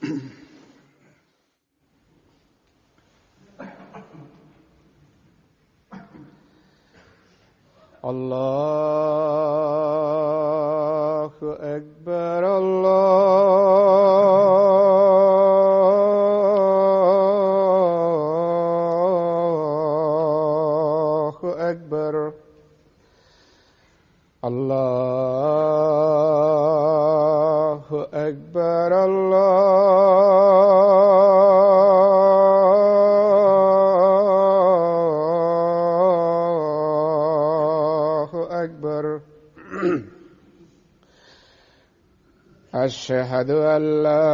الله أكبر الله أكبر الله أكبر الله أكبر أشهد أن لا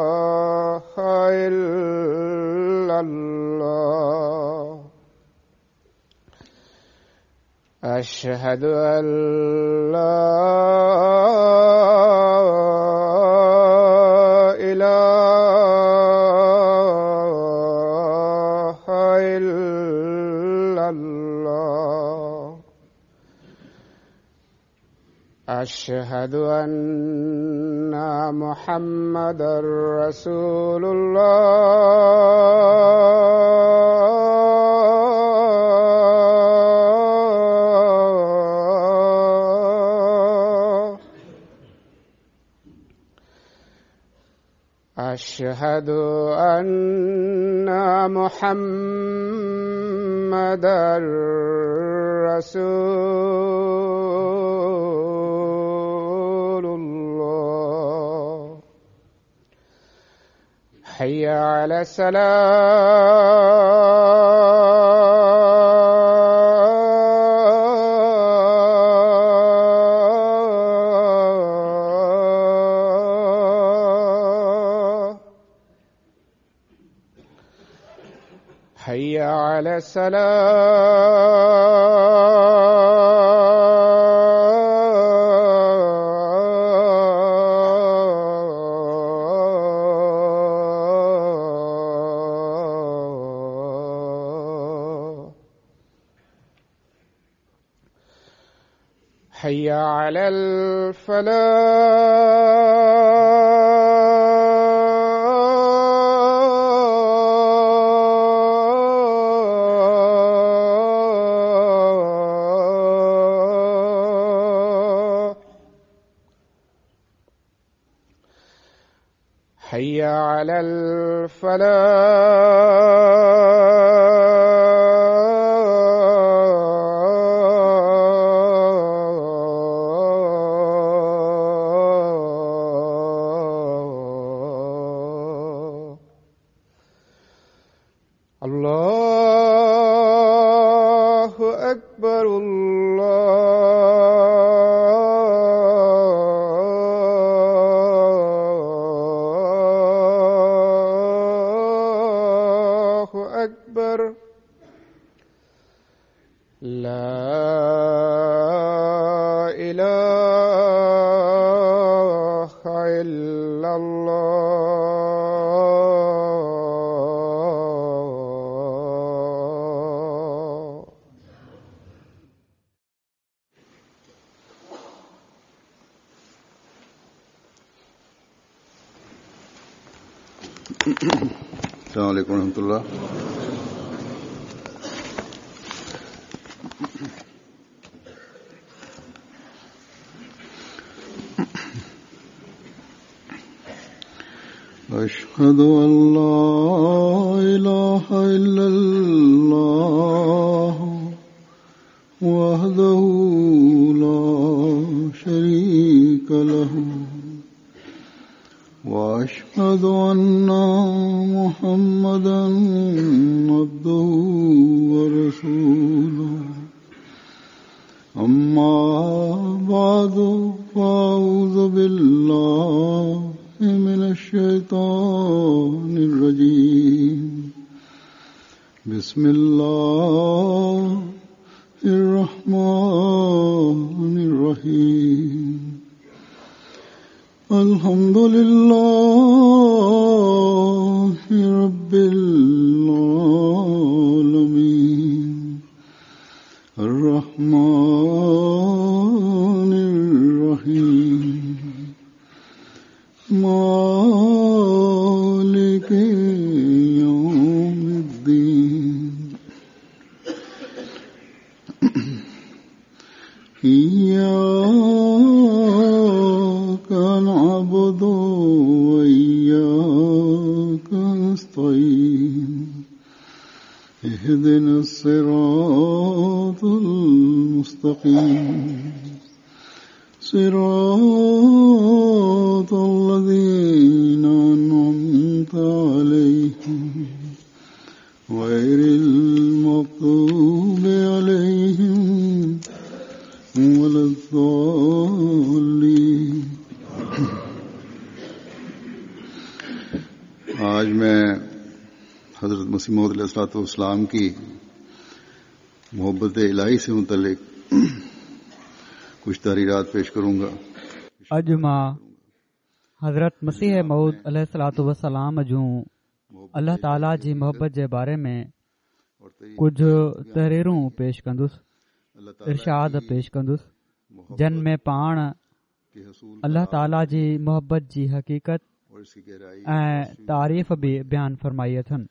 إله إلا الله أشهد أن لا إله إلا الله أشهد أن محمدا رسول الله أشهد أن محمدا رسول الله حي على السلام حي على السلام حي على الفلاح حي على الفلاح الله أكبر الله أكبر لا إله إلا الله السلام عليكم ورحمة الله. أشهد أن لا إله إلا الله وحده لا شريك له وأشهد أن محمدا عبده ورسوله. أما بعد فأعوذ بالله من الشيطان الرجيم. بسم الله الرحمن الرحيم. الحمد لله رب العالمين الرحمن اهدنا الصراط المستقيم، صراط الذين أنعمت عليهم، غير المغضوب عليهم ولا الضالين. آج میں حضرت مسیح موعود علیہ الصلوۃ والسلام کی محبت الہی سے متعلق کچھ تحریرات پیش کروں گا. اڄ مان حضرت مسيح موعود عليه الصلوة والسلام جون الله تعاليٰ جي محبت جي باري ۾ ڪجهه تحريرون پيش ڪندس، ارشاد پيش ڪندس، جن ۾ پاڻ الله تعاليٰ جي محبت جي حقيقت ۽ تعريف به بيان فرمائي اٿن.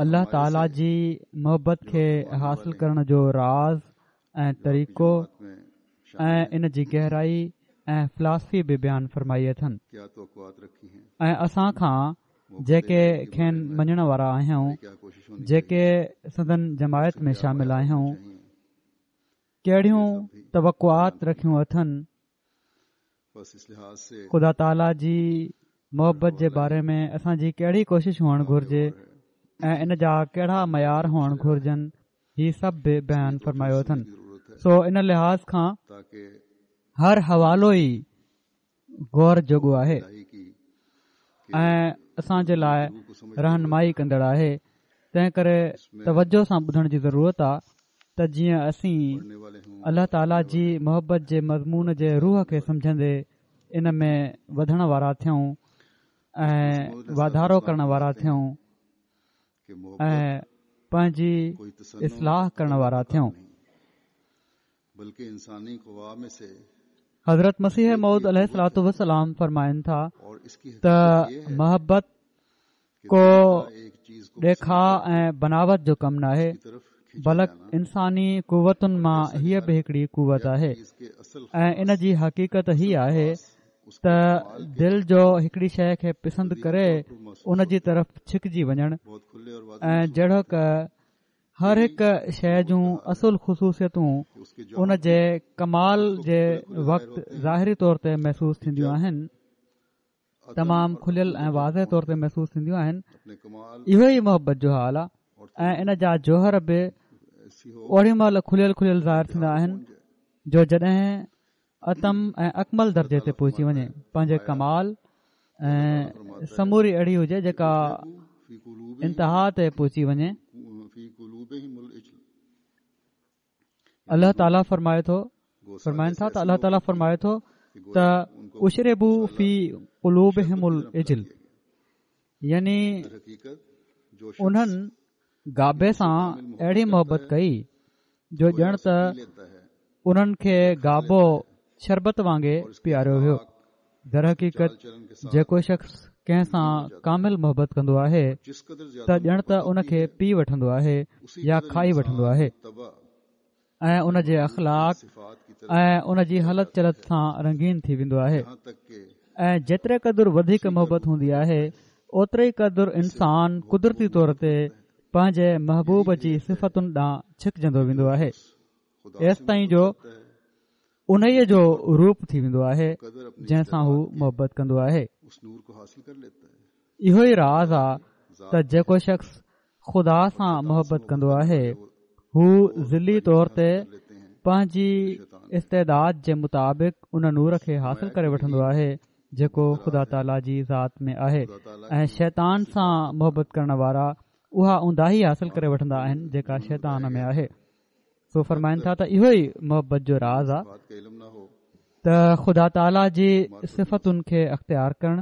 الله تعاليٰ جي محبت کي حاصل ڪرڻ جو راز ۽ طريقو ۽ ان جي گهرائي ۽ فلاسفي به بيان فرمائي اٿن ۽ اسان کان جيڪي کين مڃڻ وارا آهيون، جيڪي سندن جماعت ۾ شامل آهيون، ڪهڙيون توقعات رکيون اٿن؟ خدا تعاليٰ جي محبت جي باري ۾ اسان جي ڪهڙي ڪوشش هئڻ گهرجي ۽ ان جا ڪهڙا معيار هئڻ گهرجن، هي سڀ به بيان فرمايو اٿن. سو ان لحاظ کان هر حوالو ئي غور جوڳو آهي ۽ اسان جي لاء رهنمائي ڪندڙ آهي. تنهن ڪري توجه سان ٻڌڻ جي ضرورت آ ته جيئن اسين الله تعاليٰ جي محبت جي مضمون جي روح کي سمجهندي ان ۾ وڌڻ وارا ٿيون ۽ واڌارو ڪرڻ وارا ٿيون ۽ پنهنجي اصلاح ڪرڻ وارا ٿيون. حضرت مسيح موعود عليه الصلوة والسلام فرمائن ٿا ته محبت ڪو ڏيکاء ۽ بناوت جو ڪم ناهي، بلڪ انساني قوتن مان هيء به هڪڙي قوت آهي ۽ ان جي حقيقت هي آهي ته دل جو هڪڙي شيء کي پسند ڪري ان جي طرف ڇڪجي وڃڻ ۽ جهڙوڪ هر هڪ شيء جون اصل خصوصيتون ان جي ڪمال جي وقت ظاهري طور تي محسوس ٿينديون آهن، تمام کليل ۽ واضح طور تي محسوس ٿينديون آهن. اهو ئي محبت جو حال آهي ۽ ان جا جوهر به اوڏي مهل کليل کليل ظاهر ٿيندا آهن جو جڏهن اتم ۽ اڪمل درجي تي پهچي وڃي، پنهنجي ڪمال ۽ سموري اهڙي هجي جيڪا انتها تي پهچي وڃي. الله تعاليٰ فرمائي ٿو، فرمائن ٿا ته الله تعاليٰ فرمائي ٿو ته اشربوا في قلوبهم العجل يعني انهن گابي سان اهڙي محبت ڪئي جو ڄڻ ته انهن کي گابو شربت وانگي پياريو ويو. درحقيقت جيڪو شخص ڪنهن سان ڪامل محبت ڪندو آهي ته ڄڻ ته ان کي پي وٺندو آهي يا کائي وٺندو آهي ۽ ان جي اخلاق ۽ ان جي هلت چلت سان رنگين ٿي ويندو آهي ۽ جيتري قدر وڌيڪ محبت هوندي آهي اوتري قدر انسان قدرتي طور تي پنهنجي محبوب جي صفتن ڏانهن ڇڪجندو ويندو آهي، ايستائين جو انهيء جو روپ ٿي ويندو آهي جنهن سان هو محبت ڪندو آهي. اهو ئي راز آ ته جيڪو شخص خدا سان محبت ڪندو آهي، هو ظلي طور تي پنهنجي استعداد جي مطابق ان نور کي حاصل ڪري وٺندو آهي جيڪو خدا تعاليٰ جي ذات ۾ آهي ۽ شيطان سان محبت ڪرڻ وارا اها اونداهي حاصل ڪري وٺندا آهن جيڪا شيطان ۾ آهي. سو فرمائن ٿا ته اهو ئي محبت جو راز آهي ته خدا تعاليٰ جي صفتن کي اختيار ڪرڻ.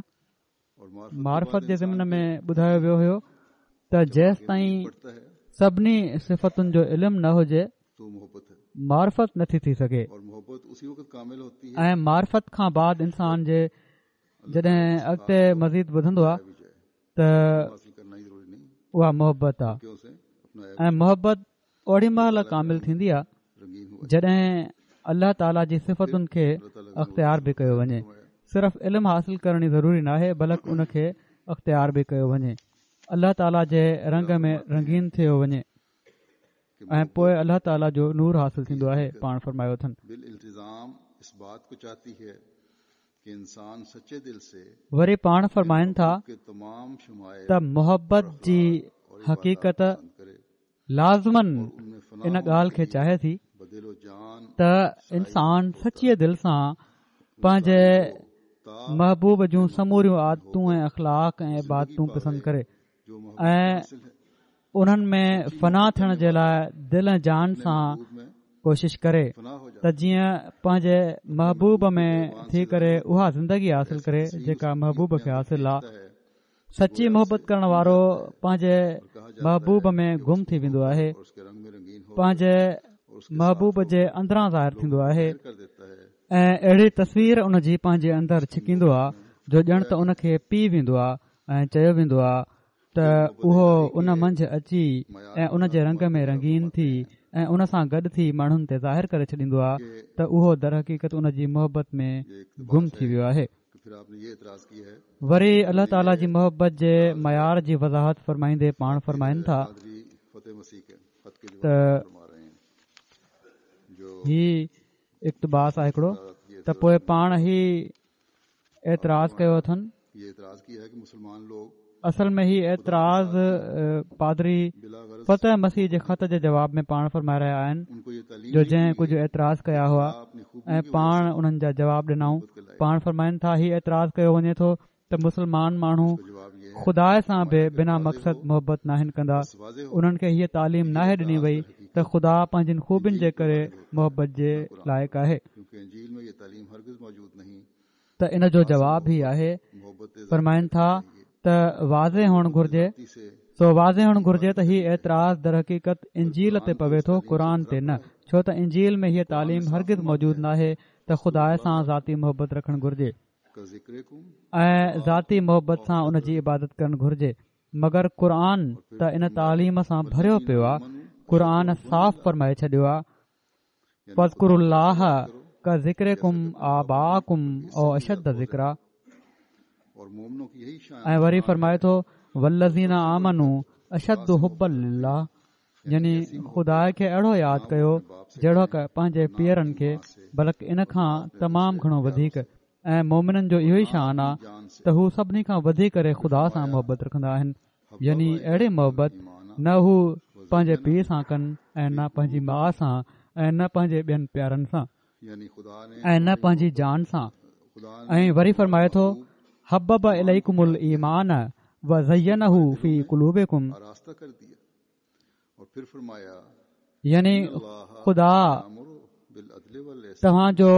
معرفت جي ضمن ۾ ٻڌايو ويو هيو ته جيستائين سڀني صفتن جو علم نه هجي معرفت نٿي ٿي سگهي ۽ معرفت کان بعد انسان جي جڏهن اڳتي مزيد وڌندو آهي ته اها محبت آهي ۽ محبت اوڏي مهل ڪامل ٿيندي آهي جڏهن الله تعاليٰ جي صفتن کي اختيار به ڪيو وڃي. صرف علم حاصل ڪرڻ ئي ضروري ناهي بلڪ ان کي اختيار به ڪيو وڃي. الله تعاليٰ جي رنگ ۾ رنگين ٿيو وڃي ۽ پوء الله تعاليٰ جو نور حاصل ٿيندو آهي. پاڻ فرمايو اٿن. وري پاڻ فرمائن ٿا ته محبت جي حقيقت لازماً ان ڳالهه کي چاهي ٿي ته انسان سچيء دل سان پنهنجي محبوب جون سموريون عادتون ۽ اخلاق ۽ عبادتون پسند ڪري ۽ انهن ۾ فنا ٿيڻ جي لاء دل ۽ جان سان ڪوشش ڪري ته جيئن پنهنجي محبوب ۾ ٿي ڪري اها زندگي حاصل ڪري جيڪا محبوب کي حاصل آهي. سچي محبت ڪرڻ وارو پنهنجي محبوب ۾ گم ٿي ويندو آهي، پنهنجي محبوب جي اندران ظاهر ٿيندو آهي ۽ اهڙي تصوير ان جي پنهنجي اندر ڇڪيندو آهي جو ڄڻ ته ان کي پي ويندو آهي ۽ چيو ويندو آهي ته اهو ان منجهه اچي ۽ ان جي رنگ ۾ رنگين ٿي ۽ ان سان گڏ ٿي ماڻهن تي ظاهر ڪري ڇڏيندو آهي ته اهو درحقيقت ان جي محبت ۾ گم ٿي ويو آهي. وري الله تعاليٰ جي محبت جي معيار جي وضاحت فرمائيندي پاڻ فرمائن ٿا ته هي اقتباس آهي هڪڙو ته پوء پاڻ هي اعتراض ڪيو اٿن اصل ۾ هي اعتراض پادري فتح مسيح جي خط جي جواب ۾ پاڻ فرمائي رهيا آهن جو جنهن ڪجهه اعتراض ڪيا هئا ۽ پاڻ انهن جا جواب ڏنائون. پاڻ فرمائن ٿا هي اعتراض ڪيو وڃي ٿو ته مسلمان ماڻهو خدا سان به بنا مقصد محبت ناهن ڪندا انهن کي هيء تعليم ناهي ڏني وئي ته خدا پنهنجين خوبين جي ڪري محبت جي لائق آهي. ته ان جو جواب هي آهي، فرمائن ٿا ته واضح هئڻ گهرجي، سو واضح هئڻ گهرجي ته هي اعتراض درحقيقت انجيل تي پوي ٿو قرآن تي نه، ڇو ته انجيل ۾ هيء تعليم هرگز موجود ناهي ته خدا سان ذاتي محبت رکڻ گهرجي ۽ ذاتي محبت سان ان جي عبادت ڪرڻ گهرجي مگر قرآن ته ان تعليم سان ڀريو پيو آهي، قرآن صاف فرمائي ڇڏيو آهي فاذڪروا الله ڪذڪرڪم آباءڪم او اشد ذڪرا ۽ وري فرمائي ٿو والذين آمنوا اشد حبا لله يعني خدا کي اهڙو ياد ڪيو جهڙوڪ پنهنجي پيئرن کي بلڪ ان کان تمام گهڻو وڌيڪ ۽ مومنن جو اهو ئي شان آ ته هو سڀني کان وڌي ڪري خدا سان محبت رکندا آهن يعني اهڙي محبت نه هو پنهنجي پيء سان ڪن ۽ نه پنهنجي ماء سان ۽ نه پنهنجي ٻين پيارن سان ۽ نه پنهنجي جان سان ۽ وري فرمائي ٿو حبب اليڪم الايمان وزينه في قلوبڪم يعني خدا توهان جو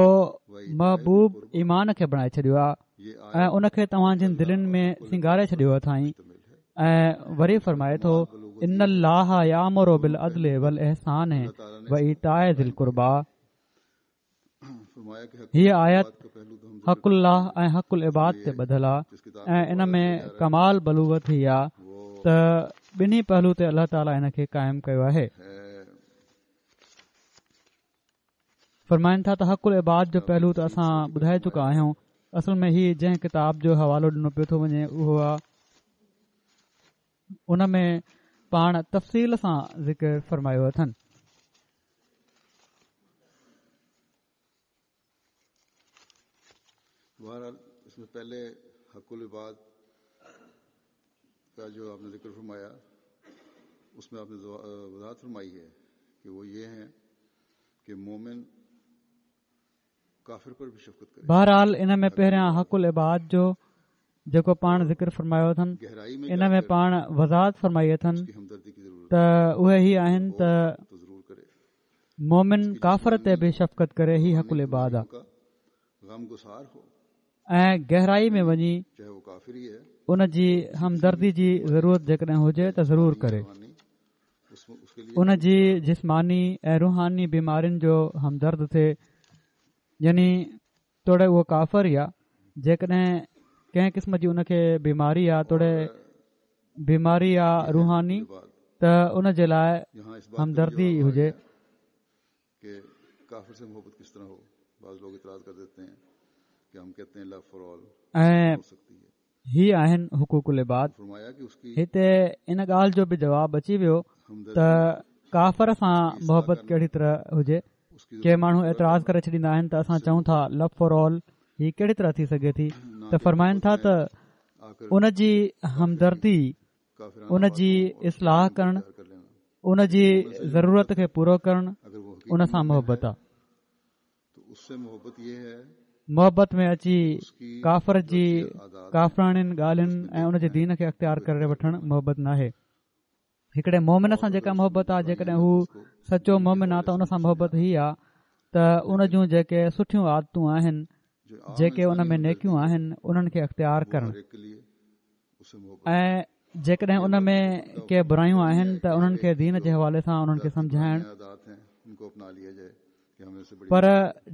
محبوب ايمان کي بڻائي ڇڏيو آهي ۽ ان کي توهان جن دلين ۾ سينگاري ڇڏيو اٿائين ۽ وري فرمائي ٿو ان الله يامر بالعدل والاحسان وايتاء ذي القربيٰ هيء آيت حق الله ۽ حق العباد تي ٻڌل آ ۽ ان ۾ ڪمال بلوغت هي آ ته ٻنهي پهلو تي الله تعاليٰ ان کي قائم ڪيو آهي. فرمائن ٿا ته حق العباد جو پهلو ته اسان ٻڌائي چڪا آهيون اصل ۾ هي جنهن ڪتاب جو حوالو ڏنو پيو ٿو وڃي اهو آ ان ۾ پاڻ تفصيل سان ذڪر فرمايو اٿن. بهرحال اس ۾ پهلي حق العباد کا جو آپ نے ذکر فرمایا اس میں آپ نے وضاحت فرمائی ہے کہ وہ یہ ہیں کہ مومن کافر پر بھی شفقت کرے بهرحال ان ۾ پهريان حق العباد جو جيڪو پاڻ ذڪر فرمايو اٿن ان ۾ پاڻ وضاحت فرمائي اٿن ته اهي هي آهن ته مومن ڪافر تي به شفقت ڪري هي حق العباد آ ۽ گهرائي ۾ وڃي ان جي همدردي جي ضرورت جيڪڏهن هجي ته ضرور ڪري ان جي جسماني ۽ روحاني بيمارين جو همدرد ٿئي يعني توڙي اهو ڪافر ئي آ جيڪڏهن ڪنهن قسم جي ان کي بيماري آ توڙي بيماري آ روحاني ته ان جي لاء همدردي هجي ۽ هي آهن حقوق العباد. هتي ان ڳالهه جو به جواب اچي ويو ته ڪافر سان محبت ڪهڙي طرح هجي؟ ڪي ماڻهو اعتراض ڪري ڇڏيندا آهن ته اسان چئون ٿا لو فار آل هي ڪهڙي طرح ٿي سگهي ٿي ته فرمائن ٿا ته ان جي همدردي ان جي اصلاح ڪرڻ ان جي ضرورت کي پورو ڪرڻ ان سان محبت آ محبت ۾ اچي ڪافر جي ڪافراڻين ڳالهين ۽ ان جي دين کي اختيار ڪري وٺڻ محبت ناهي هڪڙي مومن سان جيڪا محبت آ جيڪڏهن هو سچو مومن آ ته ان سان محبت هي آ ته ان جون جيڪي سٺيون عادتون آهن جيڪي ان ۾ نيڪيون آهن انهن کي اختيار ڪرڻ ۽ جيڪڏهن ان ۾ ڪي برايون آهن ته انهن کي دين جي حوالي سان انهن کي سمجهائڻ پر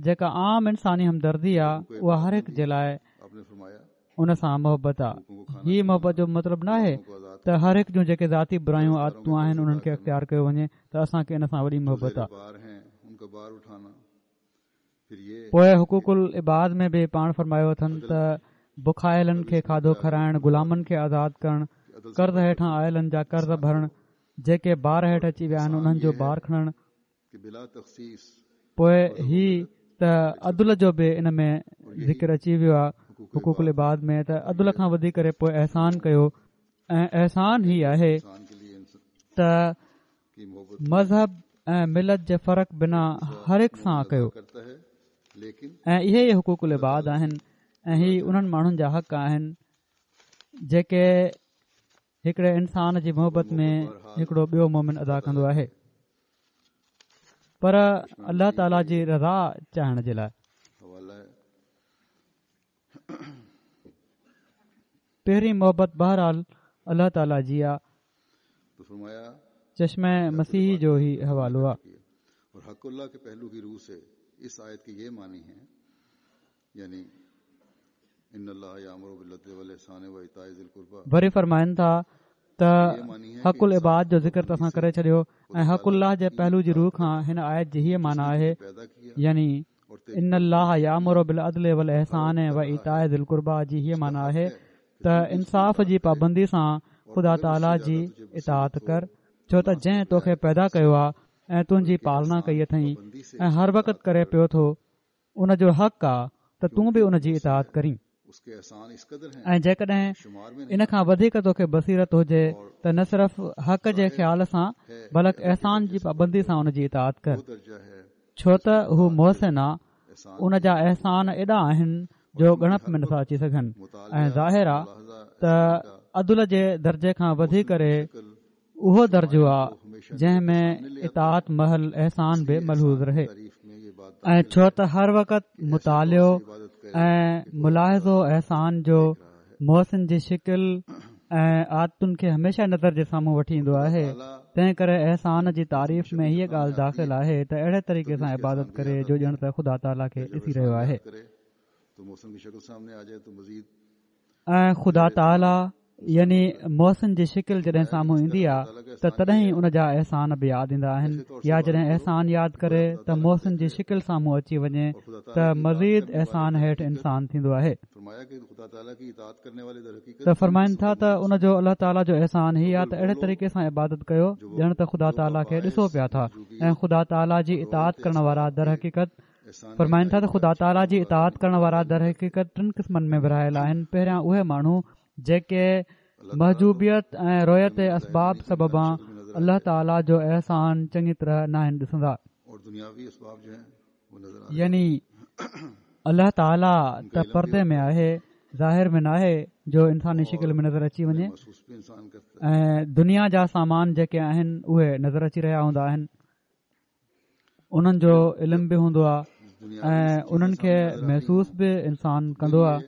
جيڪا عام انساني همدردي آهي اها هر هڪ جي لاء ان سان محبت آهي هي محبت جو مطلب نه آهي ته هر هڪ جون جيڪي ذاتي برايون عادتون آهن انهن کي اختيار ڪيو وڃي ته اسان کي ان سان وڏي محبت آهي پوء حقوق العباد ۾ به پاڻ فرمايو اٿن ته بکايلن کي کاڌو کارائڻ، غلامن کي آزاد ڪرڻ، قرض هيٺان آيلن جا قرض ڀرڻ، جيڪي بار هيٺ اچي ويا آهن انهن جو بار کڻڻ، پوء هي ته عدل جو به ان ۾ ذڪر اچي ويو آهي حقوق العباد ۾ ته عدل کان وڌي ڪري پوء احسان ڪيو ۽ احسان هي آهي ته مذهب ۽ ملت جي فرق بنا هر هڪ سان ڪيو ۽ اهي ئي حقوق العباد آهن ۽ هي انهن ماڻهن جا حق آهن جيڪي هڪڙي انسان جي محبت ۾ هڪڙو ٻيو مومن ادا ڪندو آهي پر الله تعالي جي رضا چاهڻ جي لاء پهرين محبت بهرحال الله تعالي جي آ. چشمه مسيحي جو هي حوالو آ. وري فرمائن ٿا ته حق العباد جو ذڪر ته اسان ڪري ڇڏيو ۽ حق الله جي پهلو جي رو کان هن آيت جي هيء معنيٰ آهي يعني ان الله يامر بالعدل والاحسان و ايتاء ذي القربيٰ جي هيء معنيٰ آهي ته انصاف جي پابندي سان خدا تعاليٰ جي اطاعت ڪر ڇو ته جنهن توکي پيدا ڪيو آهي ۽ تنهنجي پالنا ڪئي اٿئي ۽ هر وقت ڪري پيو ٿو ان جو حق آ ته تون به ان جي اطاعت ڪرين ۽ جيڪڏهن ان کان وڌيڪ توکي بصيرت هجي ته نه صرف حق جي خيال سان بلڪ احسان جي پابندي سان ان جي اطاعت ڪر ڇو ته هو محسن آ ان جا احسان ايڏا آهن جو ڳڻپ ۾ نٿا اچي سگهن ۽ ظاهر آ ته عدل جي درجي کان وڌي ڪري اهو درجو آ جنهن ۾ اطاعت مهل احسان به ملحوظ رهي ۽ ڇو ته هر وقت مطالعو ۽ ملاحظو احسان جو محسن جي شڪل ۽ عادتن کي هميشه نظر جي سامهون وٺي ايندو آهي تنهن ڪري احسان جي تعريف ۾ هيء ڳالهه داخل آهي ته اهڙي طريقي سان عبادت ڪري جو ڄڻ ته خدا تعاليٰ کي ڏسي رهيو آهي. ۽ خدا تعاليٰ يعني محسن جي شڪل جڏهن سامهون ايندي آ ته تڏهن ئي ان جا احسان به ياد ايندا آهن يا جڏهن احسان ياد ڪري ته محسن جي شڪل سامهون اچي وڃي ته مزيد احسان هيٺ انسان ٿيندو آهي ته فرمائن ٿا ته ان جو الله تعاليٰ جو احسان هي آ ته اهڙي طريقي سان عبادت ڪيو ڄڻ ته خدا تعاليٰ کي ڏسو پيا ٿا ۽ خدا تعاليٰ جي اطاعت ڪرڻ وارا درحقيقت فرمائن ٿا ته خدا تعاليٰ جي اطاعت ڪرڻ وارا درحقيقت ٽن قسمن ۾ ورهايل آهن پهريان اهي ماڻهو جيڪي محجوبيت ۽ رويت اسباب سببان الله تعاليٰ جو احسان چڱي طرح ناهن ڏسندا يعني الله تعاليٰ ته پردي ۾ آهي ظاهر ۾ ناهي جو انساني شڪل ۾ نظر اچي وڃي ۽ دنيا جا سامان جيڪي آهن اهي نظر اچي رهيا هوندا آهن انهن جو علم به هوندو آهي ۽ انهن کي محسوس به انسان ڪندو آهي.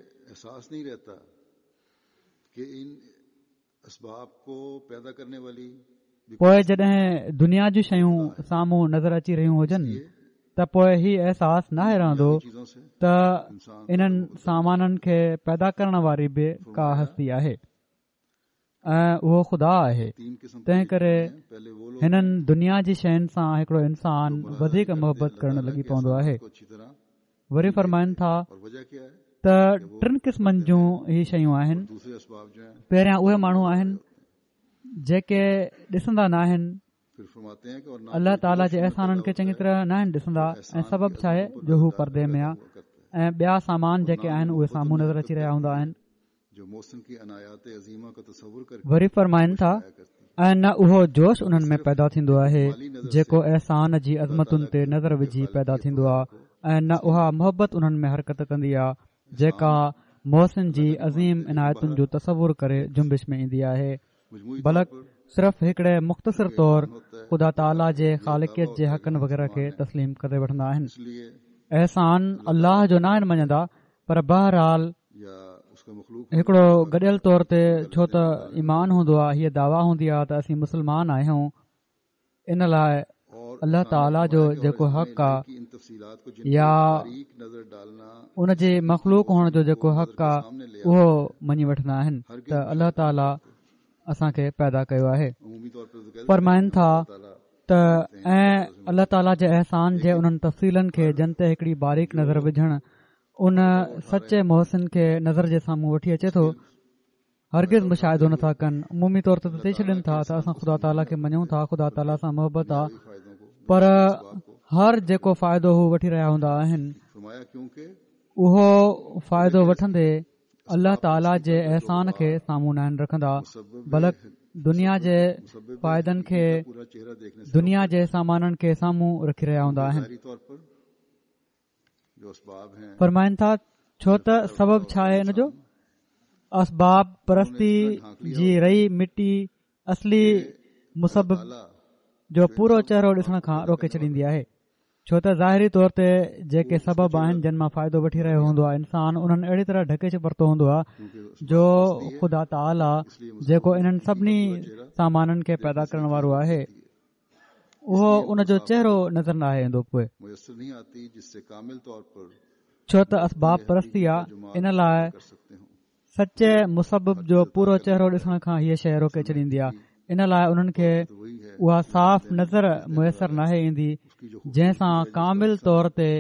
پوء جڏهن دنيا جون شيون سامهون نظر اچي رهيون هجن ته پوء هي احساس ناهي رهندو ته انهن سامانن کي پيدا ڪرڻ واري به ڪا هستي آهي. ۽ اهو خدا آهي تنهن ڪري هنن دنيا جي شين سان هڪڙو انسان وڌيڪ محبت ڪرڻ لڳي پوندو آهي وري فرمائن ٿا ته ٽن قسمن جون هي شيون آهن پهريان اهي ماڻهو آهن جيڪي ڏسندا ناهن الله تعاليٰ جي احسانن کي چڱي طرح ناهن ڏسندا ۽ سبب ڇا آهي جو هو پردي ۾ آ ۽ ٻيا سامان جيڪي آهن اهي سامهون نظر اچي رهيا هوندا آهن وري فرمائن ٿا ۽ نه اهو جوش انهن ۾ پيدا ٿيندو آهي جيڪو احسان جي عظمتن تي نظر وجهي پيدا ٿيندو آهي ۽ نه اها محبت انهن ۾ حرڪت ڪندي آهي جيڪا محسن جي عظيم عنايتن جو تصور ڪري جنبش ۾ ايندي آهي بلڪ صرف هڪڙي مختصر طور خدا تعاليٰ جي خالقيت جي حقن وغيره کي تسليم ڪري وٺندا آهن احسان الله جو ناهن مڃندا پر بهرحال هڪڙو گڏيل طور تي ڇو ته ايمان هوندو آهي هيء دعويٰ هوندي آهي ته اسين مسلمان آهيون ان لاء الله تعاليٰ جو جيڪو حق آ يا ان جي مخلوق هئڻ جو جيڪو حق آ اهو مڃي وٺندا آهن ته الله تعاليٰ اسان کي پيدا ڪيو آهي فرمائن ٿا ته ۽ الله تعاليٰ جي احسان جي انهن تفصيلن کي جن تي هڪڙي باريڪ نظر وجهڻ ان سچي محسن کي نظر جي سامهون وٺي اچي ٿو هرگز مشاهدو نٿا ڪن عمومي طور تي چئي ڇڏين ٿا ته اسان خدا تعاليٰ کي مڃون ٿا خدا تعاليٰ سان محبت آ پر هر جيڪو فائدو هو وٺي رهيا هوندا آهن اهو فائدو وٺندي الله تعاليٰ جي احسان کي سامهون ناهن رکندا بلڪ دنيا جي فائدن کي دنيا جي سامانن کي سامهون رکي رهيا هوندا آهن فرمائن ٿا ڇو ته سبب ڇا آهي ان جو اسباب پرستي جي رئي مٽي اصلي مسبب جو پورو چهرو ڏسڻ کان روڪي ڇڏيندي آهي ڇو ته ظاهري طور تي جيڪي سبب آهن جن مان فائدو وٺي رهيو هوندو آهي انسان انهن اهڙي طرح ڍڪي ورتو هوندو آهي جو خدا تعاليٰ جيڪو انهن سڀني سامانن کي پيدا ڪرڻ وارو آهي اهو ان جو چهرو نظر ناهي ايندو پوء ڇو ته اسباب پرستي آ ان لاء سچي مسبب جو پورو چهرو ڏسڻ کان هيء شيء روڪي ڇڏيندي آ ان لاء انهن کي اها صاف نظر ميسر ناهي ايندي جنهن سان ڪامل طور تي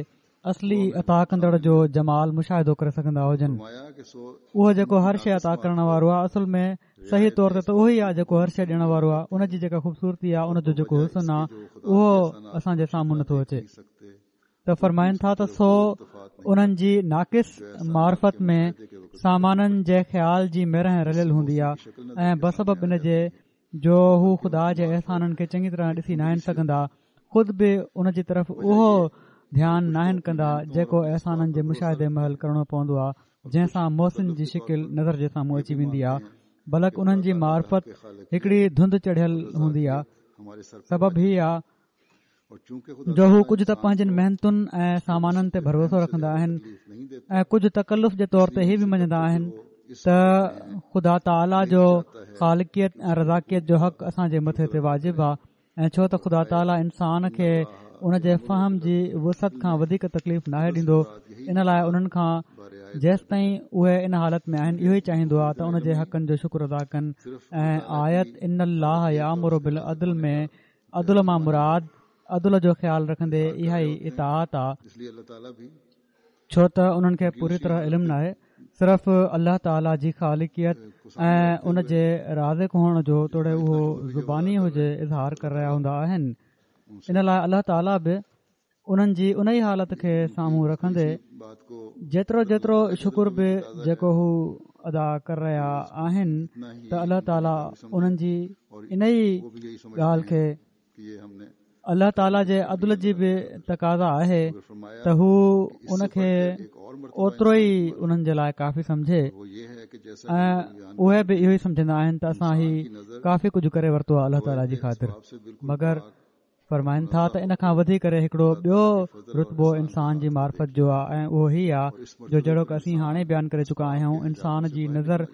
اصلي عطا ڪندڙ جو جمال مشاهدو ڪري سگهندا هجن اهو جيڪو هر شيء عطا ڪرڻ وارو آهي اصل ۾ صحيح طور تي ته اهو ئي آهي جيڪو هر شيء ڏيڻ وارو آهي ان جي جيڪا خوبصورتي آهي ان جو جيڪو حسن آهي اهو اسان جي سامهون نٿو اچي ته فرمائن ٿا ته سو انهن جي ناقص معرفت ۾ سامانن جي خيال جي ميرهن رليل هوندي آهي ۽ بسبب ان جي جو هو خدا جي احسانن کي چڱي طرح ڏسي ناهن سگهندا خود به ان جي طرف اهو ڌيان ناهن ڪندا جيڪو احسانن جي مشاهدي مهل ڪرڻو پوندو آهي جنهن سان محسن جي شڪل نظر جي سامهون اچي ويندي آهي بلڪ انهن جي معرفت هڪڙي ڌند چڙهيل هوندي آهي سبب هي آهي جو هو ڪجهه ته پنهنجين محنتن ۽ سامانن تي ڀروسو رکندا آهن ۽ ڪجهه تڪلف جي طور تي هي به مڃندا آهن ته خدا تعاليٰ جو خالقيت ۽ رزاقيت جو حق اسان جي مٿي تي واجب آهي ۽ ڇو ته خدا تعاليٰ انسان کي ان جي فهم جي وسعت کان وڌيڪ تڪليف ناهي ڏيندو ان لاء انهن کان جيستائين اهي ان حالت ۾ آهن اهو ئي چاهيندو آهي ته ان جي حقن جو شڪر ادا ڪن ۽ آيت ان الله يامر بالعدل ۾ عدل مان مراد عدل جو خيال رکندي اها ئي اطاعت آ ڇو ته انهن کي پوري طرح علم ناهي صرف الله تعاليٰ جي خالقيت ۽ ان جي رازق هئڻ جو توڙي اهو زباني هجي اظهار ڪري رهيا هوندا آهن ان لاء الله تعاليٰ به انهن جي انهي حالت کي سامهون رکندي جيترو جيترو شڪر به جيڪو هو ادا ڪري رهيا آهن ته الله تعالي انهن جي انهي ڳالهه کي الله تعالي جي عدل جي به تقاضا آهي ته هو ان کي اوترو ئي انهن جي لاء ڪافي سمجهي ۽ اهي به اهو ئي سمجهندا آهن ته اسان هي ڪافي ڪجهه ڪري ورتو آهي الله تعالي جي خاطر مگر فرمائن ٿا ته ان کان وڌي ڪري هڪڙو ٻيو رتبو انسان جي معرفت جو آهي ۽ اهو هي آهي جو جهڙوڪ اسين هاڻي بيان ڪري چڪا آهيون انسان جي نظر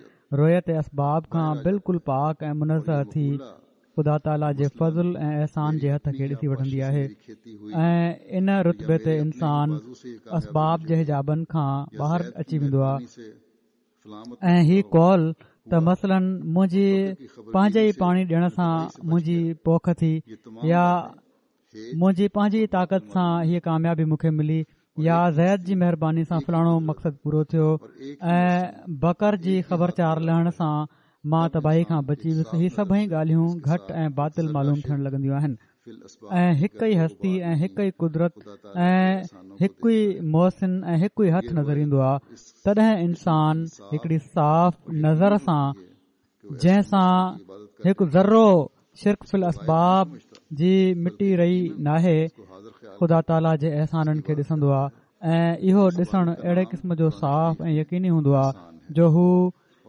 رويت اسباب کان بلڪل پاڪ ۽ منزه ٿي خدا تعاليٰ جي فضل ۽ احسان جي هٿ کي ڏسي وٺندي آهي ۽ ان رتبي تي انسان اسباب جي حجابن کان ٻاهر اچي ويندو آهي ۽ هي قول ته مثلاً منهنجي پنهنجي ئي پاڻي ڏيڻ سان منهنجي پوک ٿي يا منهنجي پنهنجي ئي طاقت سان هيء ڪاميابي مون کي ملي. يا زيد جي مهرباني سان فلاڻو مقصد پورو ٿيو ۽ بڪر جي خبر چار لهڻ سان مان تباهي کان بچي ويس هي سڀئي ڳالهيون گهٽ ۽ باطل معلوم ٿيڻ لڳنديون آهن ۽ هڪ ئي هستي ۽ هڪ ئي قدرت ۽ هڪ ئي محسن ۽ هڪ ئي هٿ نظر ايندو آهي تڏهن انسان هڪڙي صاف نظر سان جنهن سان هڪ ذرو شرڪ في الاسباب جي مٽي رهي ناهي خدا تعاليٰ جي احسانن کي ڏسندو آهي ۽ اهو ڏسڻ اهڙي قسم جو صاف ۽ يقيني هوندو آهي جو هو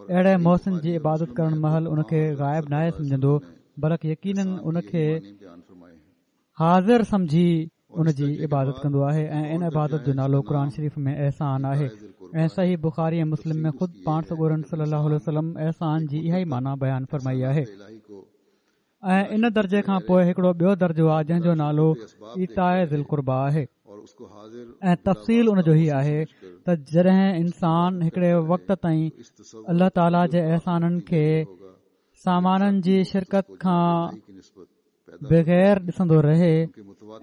اهڙي محسن جي عبادت ڪرڻ مهل ان کي غائب ناهي سمجهندو بلڪ يقينن ان کي حاضر سمجهي ان جي عبادت ڪندو آهي ۽ ان عبادت جو نالو قرآن شريف ۾ احسان آهي ۽ صحيح بخاري ۽ مسلم ۾ خود پاڻ سڳورن صلي الله عليه وسلم احسان جي اها ئي معنيٰ بيان فرمائي آهي ۽ ان درجي کان پوء هڪڙو ٻيو درجو آهي جنهن جو نالو ايتاء ذي القربيٰ آهي ۽ تفصيل ان جو هي آهي ته جڏهن انسان هڪڙي وقت تائين الله تعاليٰ جي احسانن کي سامانن جي شرڪت کان بغير ڏسندو رهي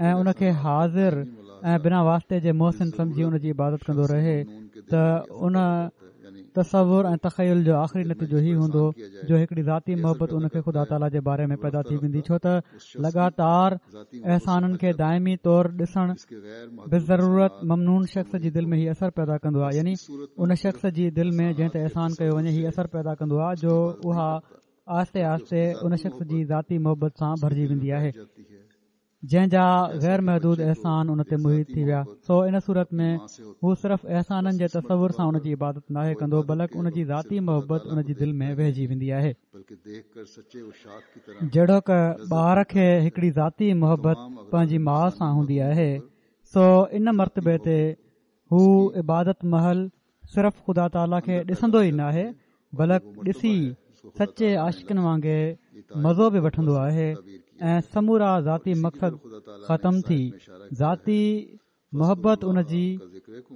۽ ان کي حاضر ۽ بنا واسطي جي محسن سمجهي ان جي عبادت ڪندو رهي ته ان تصور ۽ تخيل جو آخري نتيجو هي هوندو جو هڪڙي ذاتي محبت ان کي خدا تعاليٰ جي باري ۾ پيدا ٿي ويندي ڇو ته لڳاتار احسانن کي دائمي طور ڏسڻ بضرورت ممنون شخص جي دل ۾ هي اثر پيدا ڪندو آهي يعني ان شخص جي دل ۾ جنهن تي احسان ڪيو وڃي هي اثر پيدا ڪندو آهي جو اها آهستي آهستي ان شخص جي ذاتي محبت سان ڀرجي ويندي آهي جنهن جا غير محدود احسان ان تي محيط ٿي ويا سو ان صورت ۾ هو صرف احسانن جي تصور سان ان جي عبادت ناهي ڪندو بلڪ ان جي ذاتي محبت ان جي دل ۾ ويهجي ويندي آهي جهڙوڪ ٻار کي هڪڙي ذاتي محبت پنهنجي ماء سان هوندي آهي سو ان مرتبي تي هو عبادت مهل صرف خدا تعاليٰ کي ڏسندو ئي ناهي بلڪ ڏسي سچي عاشقن وانگي مزو به وٺندو آهي ۽ سمورا ذاتي مقصد ختم ٿي ذاتي محبت ان جي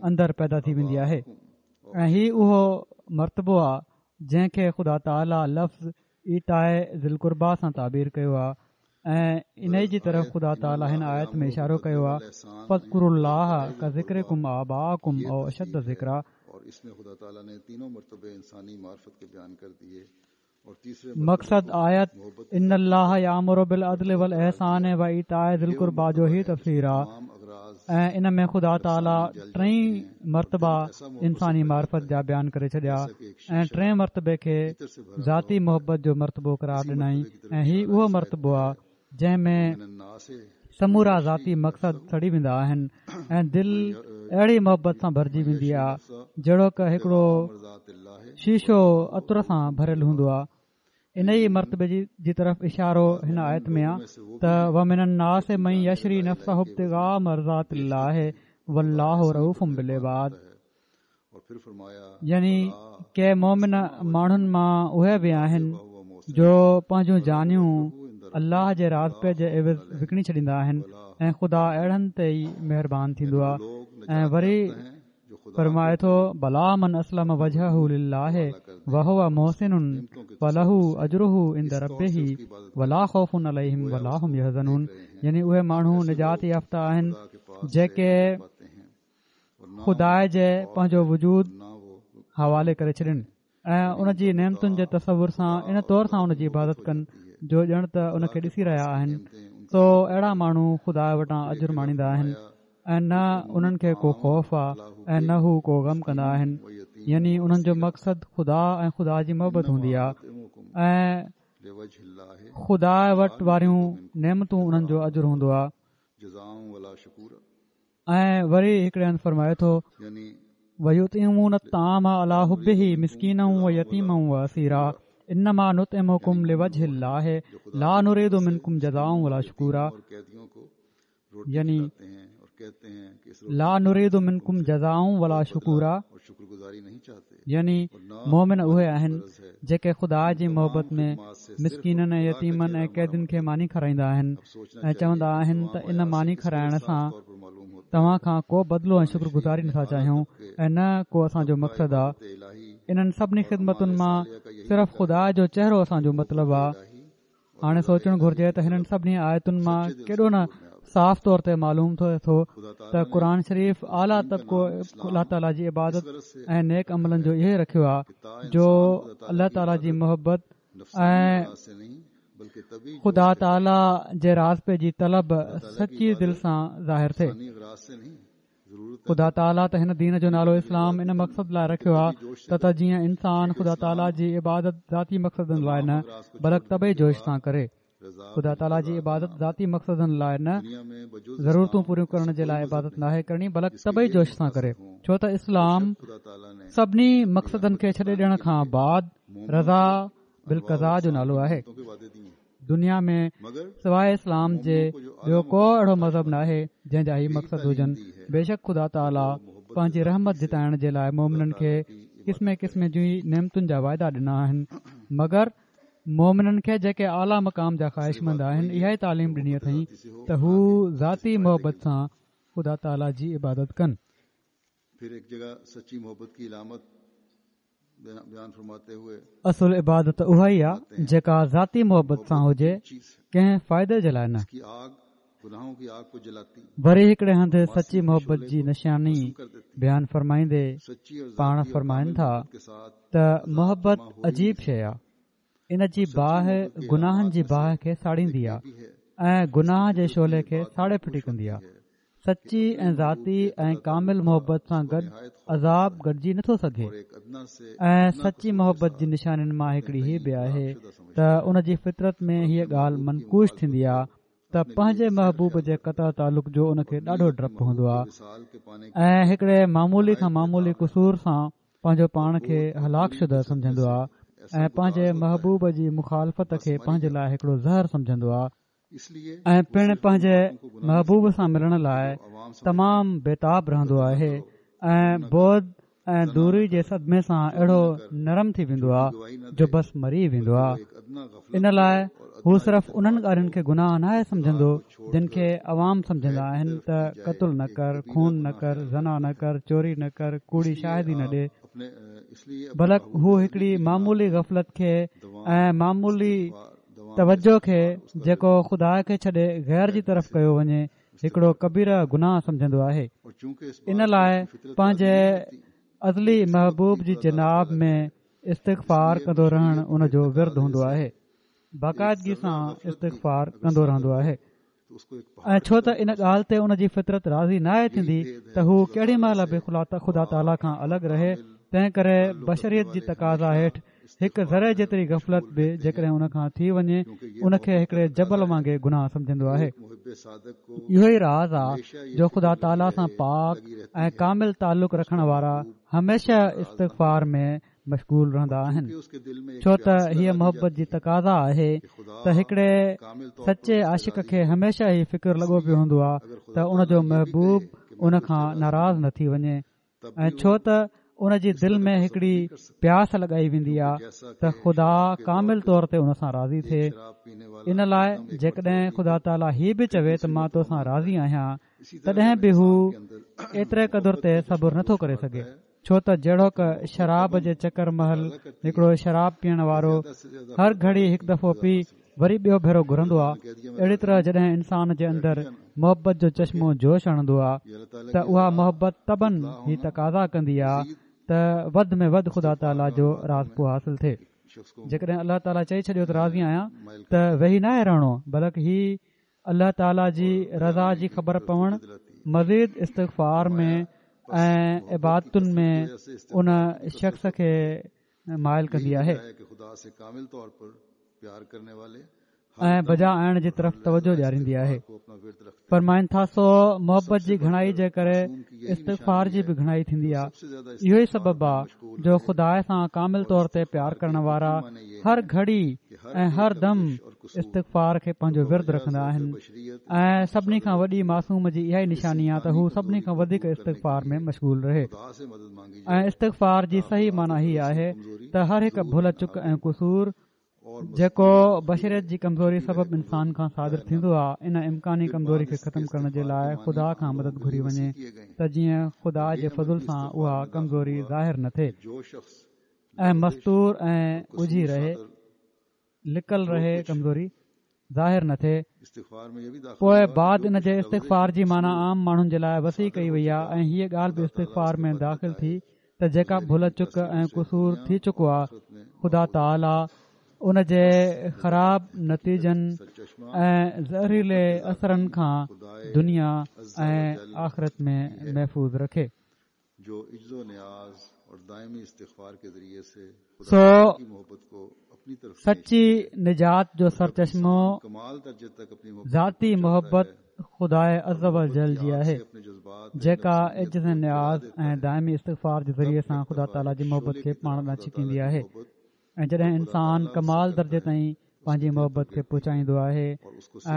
اندر پيدا ٿي ويندي آهي ۽ هي اهو مرتبو آهي جنهن کي خدا تعاليٰ لفظ ايتاء ذي القربيٰ سان تعبير ڪيو آهي ۽ انهي جي طرف خدا تعاليٰ هن آيت ۾ اشارو ڪيو آهي فاذڪروا الله ڪذڪرڪم آباءڪم او اشد ذڪرا. مقصد آيت ان الله يامر بالعدل والاحسان وايتاء ذي القربيٰ جو هي تفسير آهي ۽ ان ۾ خدا تعاليٰ ٽئي مرتبا انساني معرفت جا بيان ڪري ڇڏيا ۽ ٽئين مرتبي کي ذاتي محبت جو مرتبو قرار ڏنائين ۽ هي اهو مرتبو آهي جنهن ۾ سمورا ذاتي مقصد سڙي ويندا آهن ۽ دل اهڙي محبت سان ڀرجي ويندي آهي جهڙوڪ هڪڙو شيشو عطر سان ڀريل هوندو آهي ان ئي مرتبي جي طرف اشارو هن آيت ۾ آهي ته ومن الناس من يشري نفسه ابتغاء مرضات الله والله رءوف بالعباد يعني ڪي مومن ماڻهن مان اهي به آهن جو پنهنجون جانيون الله جي راضپي جي عيوض وڪڻي ڇڏيندا آهن ۽ خدا اهڙن تي ئي مهربان ٿيندو آهي ۽ وري فرمائي ٿو بليٰ من اسلم وجهه لله وهو محسن فله اجره عند ربه ولا خوف عليهم ولا هم يحزنون يعني اهي ماڻهو نجات يافته آهن جيڪي خدا جي پنهنجو وجود حوالي ڪري ڇڏين ۽ ان جي نعمتن جي تصور سان ان طور سان ان جي عبادت ڪن جو ڄڻ ته ان کي ڏسي رهيا آهن سو اهڙا ماڻهو خدا وٽان اجر ماڻيندا آهن ۽ نه انهن کي ڪو خوف آهي ۽ نه هو ڪو غم ڪندا آهن يعني انهن جو مقصد خدا ۽ خدا جي محبت هوندي آهي ۽ خدا وٽ واريون نعمتون انهن جو اجر هوندو آهي ۽ وري هڪڙي هنڌ فرمائي ٿو ويطعمون الطعام علي حبه مسڪينا ويتيما واسيرا انما نطعمڪم لوجه الله لا نريد منڪم جزاء ولا شڪورا يعني لا نريد منڪم جزاء ولا شڪورا يعني مومن اهي آهن جيڪي خدا جي محبت ۾ مسڪينن ۽ يتيمن ۽ قيدين کي ماني کارائيندا آهن ۽ چوندا آهن ته ان ماني کارائڻ سان توهان کان ڪو بدلو ۽ شڪر گذاري نٿا چاهيون ۽ نه ڪو اسان جو مقصد آ انهن سڀني خدمتن مان صرف خدا جو چهرو اسان جو مطلب آ هاڻي سوچڻ گهرجي ته هنن سڀني آيتن مان ڪيڏو نه صاف طور تي معلوم ٿئي ٿو ته قرآن شريف اعليٰ طبقو الله تعاليٰ جي عبادت ۽ نيڪ عملن جو اهو ئي رکيو آهي جو الله تعاليٰ جي محبت ۽ خدا تعاليٰ جي راضپي جي طلب سچي دل سان ظاهر ٿئي. خدا تعاليٰ ته هن دين جو نالو اسلام ان مقصد لاء رکيو آهي ته جيئن انسان خدا تعاليٰ جي عبادت ذاتي مقصدن لاء نه بلڪ طبعي جوش سان ڪري. خدا تعاليٰ جي عبادت ذاتي مقصدن لاء نه، ضرورتون پوريون ڪرڻ جي لاء عبادت ناهي ڪرڻي بلڪ طبعي جوش سان ڪري. ڇو ته اسلام سڀني مقصدن کي ڇڏي ڏيڻ کان بعد رضا بالقضا جو نالو آهي. دنيا ۾ سواء اسلام جي ٻيو ڪو اهڙو مذهب ناهي جنهن جا هي مقصد هجن. بيشڪ خدا تعاليٰ پنهنجي رحمت جتائڻ جي لاء مومنن کي قسمين قسمين جي نعمتن جا واعدا ڏنا آهن مگر مومنن کي جيڪي اعليٰ مقام جا خواهشمند آهن اها ئي تعليم ڏني اٿئين ته هو ذاتي محبت سان خدا تعاليٰ جي عبادت ڪن. اصل عبادت اها ئي آ جيڪا ذاتي محبت سان هجي ڪنهن فائدي جي لاء نه. وري هڪڙي هنڌ سچي محبت جي نشاني بيان فرمائيندي پاڻ فرمائن ٿا ته محبت عجيب شيء آ ان جي باهه گناهن جي باهه کي ساڙيندي آ ۽ گناهه جي شعلي کي ساڙي ڦٽي ڪندي آ. سچي ۽ ذاتي ۽ ڪامل محبت سان گڏ عذاب گڏجي نٿو سگهي ۽ سچي محبت جي نشانين مان هڪڙي هي به آهي ته ان جي فطرت ۾ هيء ڳالهه منقوش ٿيندي آ ته پنهنجي محبوب جي قطع تعلق جو ان کي ڏاڍو ڊپ هوندو آ ۽ هڪڙي معمولي کان معمولي قصور سان پنهنجو پاڻ کي هلاڪ شده سمجهندو آ ۽ پنهنجي محبوب جي مخالفت کي پنهنجي لاء هڪڙو زهر سمجهندو آ ۽ پڻ پنهنجي محبوب سان ملڻ لاء تمام بيتاب رهندو آهي ۽ بعد ۽ دوري جي صدمي سان اهڙو نرم ٿي ويندو آهي جو بس مري ويندو آهي ان لاء هو صرف انهن ڳالهين کي گناهه ناهي سمجهندو جن کي عوام سمجهندا آهن ته قتل نه ڪر خون نه ڪر زنا نه ڪر چوري نه ڪر ڪوڙي شاهدي نه ڏي بلڪ هو هڪڙي معمولي غفلت کي ۽ معمولي توجه کي جيڪو خدا کي ڇڏي غير جي طرف ڪيو وڃي هڪڙو ڪبيره گناهه سمجهندو آهي ان لاء پنهنجي ازلي محبوب جي جناب ۾ استغفار ڪندو رهڻ ان جو ورد هوندو آهي باقاعدگي سان استغفار ڪندو رهندو آهي ۽ ڇو ته ان ڳالهه تي ان جي فطرت راضي ناهي ٿيندي ته هو ڪهڙي مهل به خدا تعاليٰ کان الڳ رهي تنهن ڪري بشريت جي تقاضا هيٺ هڪ ذري جيتري غفلت به جيڪڏهن ان کان ٿي وڃي ان کي هڪڙي جبل وانگي گناهه سمجهندو آهي اهو ئي راز آ جو خدا تعاليٰ سان پاڪ ۽ ڪامل تعلق رکڻ وارا هميشه استغفار ۾ مشغول رهندا آهن ڇو ته هيء محبت جي تقاضا آهي ته هڪڙي سچي عاشق کي هميشه هي فڪر لڳو پيو هوندو آهي ته ان جو محبوب ان کان ناراض نه ٿي وڃي ۽ ڇو ته ان جي دل ۾ هڪڙي پياس لڳائي ويندي آهي ته خدا ڪامل طور تي ان سان راضي ٿئي ان لاء جيڪڏهن خدا تعاليٰ هي به چوي ته مان تو سان راضي آهيان تڏهن به هو ايتري قدر تي صبر نٿو ڪري سگهي ڇو ته جهڙوڪ شراب جي چڪر مهل هڪڙو شراب پيئڻ وارو هر گهڙي هڪ دفعو پي وري ٻيو ڀيرو گهرندو آهي اهڙي طرح جڏهن انسان جي اندر محبت جو چشمو جوش هڻندو آهي ته اها محبت طبعاً هي تقاضا ڪندي آهي ته وڌ ۾ وڌ خدا تعاليٰ جو راضپو حاصل ٿئي جيڪڏهن الله تعاليٰ چئي ڇڏيو ته راضي آهيان ته ويهي ناهي رهڻو بلڪ هي الله تعاليٰ جي رضا جي خبر پوڻ مزيد استغفار ۾ ۽ عبادتن ۾ ان شخص کي مائل ڪندي آهي ۽ بجا آڻڻ جي طرف توجه ڏياريندي آهي فرمائن ٿا سو محبت جي گهڻائي جي ڪري استغفار جي به گهڻائي ٿيندي آهي اهو ئي سبب آهي جو خدا سان ڪامل طور تي پيار ڪرڻ وارا هر گهڙي ۽ هر دم استغفار کي پنهنجو ورد رکندا آهن ۽ سڀني کان وڏي معصوم جي اها ئي نشاني آهي ته هو سڀني کان وڌيڪ استغفار ۾ مشغول رهي ۽ استغفار جي صحيح معنيٰ هي آهي ته هر هڪ ڀل چڪ ۽ قصور جيڪو بشريت جي ڪمزوري سبب انسان کان صادر ٿيندو آهي ان امڪاني ڪمزوري کي ختم ڪرڻ جي لاء خدا کان مدد گهري وڃي ته جيئن خدا جي فضل سان اها ڪمزوري ظاهر نه ٿئي ۽ مستور ۽ ڳجهي رهي لڪل رهي ڪمزوري ظاهر نه ٿئي. پوء بعد ان جي استغفار جي معنيٰ عام ماڻهن جي لاء وسيع ڪئي وئي آهي ۽ هيء ڳالهه به استغفار ۾ داخل ٿي ته جيڪا ڀل چڪ ۽ قصور ٿي چڪو آهي خدا تعاليٰ ان جي خراب نتيجن ۽ زهريلي اثرن کان دنيا ۽ آخرت ۾ محفوظ رکي. سو سچي نجات جو سرچشمو ذاتي محبت خداء عزّوجلّ جي آهي، جيڪا عجز ۽ نياز ۽ دائمي استغفار جي ذريعي سان خدا تعاليٰ جي محبت کي پاڻ ڏانهن ڇڪيندي آهي ۽ جڏهن انسان ڪمال درجي تائين پنهنجي محبت کي پهچائيندو آهي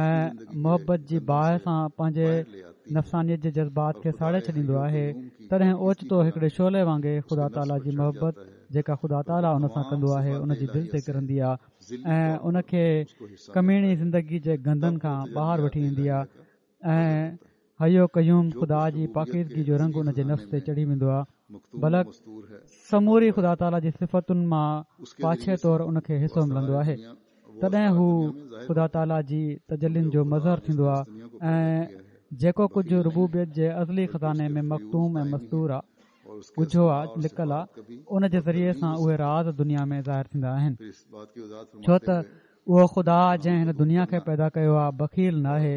۽ محبت جي باهه سان پنهنجي نفسانيت جي جذبات کي ساڙي ڇڏيندو آهي تڏهن اوچتو هڪڙي شعلي وانگي خدا تعاليٰ جي محبت جيڪا خدا تعاليٰ ان سان ڪندو آهي ان جي دل تي ڪرندي آهي ۽ ان کي ڪميڻي زندگي جي گندن کان ٻاهر وٺي ايندي آهي ۽ حي و قيوم خدا جي پاڪيزگي جو رنگ ان جي نفس تي چڙهي ويندو آهي بلڪ سموري خدا تعاليٰ جي صفتن مان پاڇي طور ان کي حصو ملندو آهي تڏهن هو خدا تعاليٰ جي تجلين جو مظهر ٿيندو آهي ۽ جيڪو ڪجهه ربوبيت جي ازلي خزاني ۾ مڪتوم ۽ مستور آهي ڳجهو آ، لڪل آ، ان جي ذريعي سان اهي راز دنيا ۾ ظاهر ٿيندا آهن ڇو ته اهو خدا جنهن هن دنيا کي پيدا ڪيو آ بخيل ناهي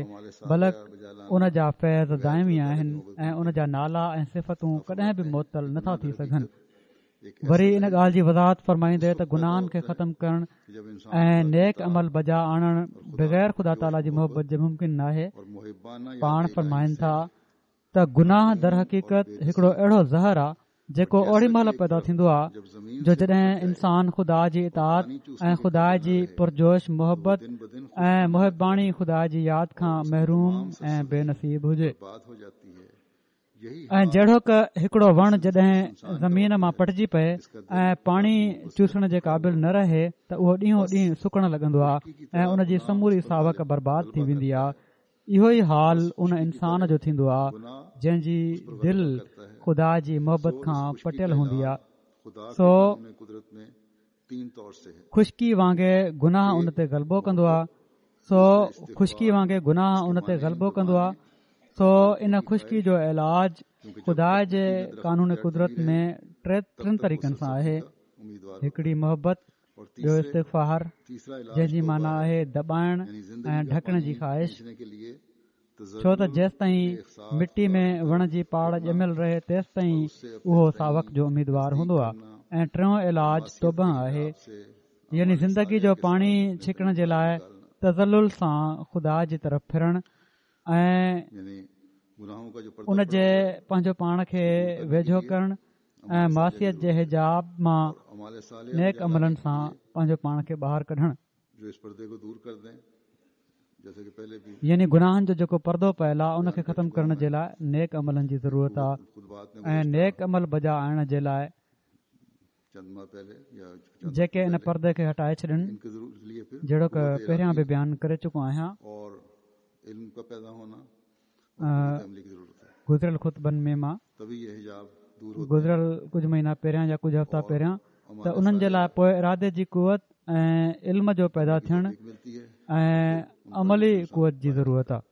بلڪ ان جا فيض دائمي آهن ۽ ان جا نالا ۽ صفتون ڪڏهن به معطل نٿا ٿي سگهن. وري ان ڳالهه جي وضاحت فرمائيندي ته گناهن کي ختم ڪرڻ ۽ نيڪ عمل بجا آڻڻ بغير خدا تعاليٰ جي محبت جي ممڪن ناهي پاڻ فرمائن ٿا ته گناهه درحقيقت هڪڙو اهڙو زهر آ جيڪو اوڙي مهل پيدا ٿيندو آ جو جڏهن انسان خدا جي اطاعت ۽ خدا جي پرجوش محبت ۽ محباڻي خدا جي ياد کان محروم ۽ بي نصيب هجي ۽ جهڙوڪ هڪڙو وڻ جڏهن زمين مان پٽجي پئي ۽ پاڻي چوسڻ جي قابل نه رهي ته اهو ڏينهون ڏينهن سڪڻ لڳندو آ ۽ ان جي سموري ساوڪ برباد ٿي ويندي آ اهو ئي حال ان انسان جو ٿيندو آ جنهن جي دل خدا جي محبت کان پٽيل هوندي آ سو خشڪي وانگي گناهه ان تي غلبو ڪندو آ سو خشڪي وانگي گناهه ان تي غلبو ڪندو آ سو ان خشڪي جو علاج خدا جي قانون قدرت ۾ ٽن طريقن سان آهي هڪڙي محبت ٻيو استغفار جنهن جي معنيٰ آهي دٻائڻ ۽ ڍڪڻ جي خواهش ڇو ته جيستائين مٽي ۾ وڻ جي پاڙ ڄميل رهي تيستائين اهو ساوڪ جو اميدوار هوندو آهي ۽ ٽيون علاج توبه آهي يعني زندگي جو پاڻي ڇڪڻ جي لاء تذلل سان خدا جي طرف ڦرڻ ۽ ان جي پنهنجو پاڻ کي ويجهو ڪرڻ ۽ معصيت جي حجاب مان نيڪ عملن سان پنهنجو پاڻ کي ٻاهر ڪڍڻ يعني گناهن جو جيڪو پردو پيل آهي ان کي ختم ڪرڻ جي لاء نيڪ عملن جي ضرورت آهي ۽ نيڪ عمل بجا آڻڻ جي لاء جيڪي ان پردي کي هٽائي ڇڏن جهڙوڪ پهريان به بيان ڪري چڪو آهيان گذريل خطبن ۾ مان گذريل ڪجهه مهينا پهريان يا ڪجهه هفتا پهريان ته انهن جي لاء پوء ارادي جي قوت ۽ علم جو پيدا ٿيڻ ۽ عملي قوت جي ضرورت آهي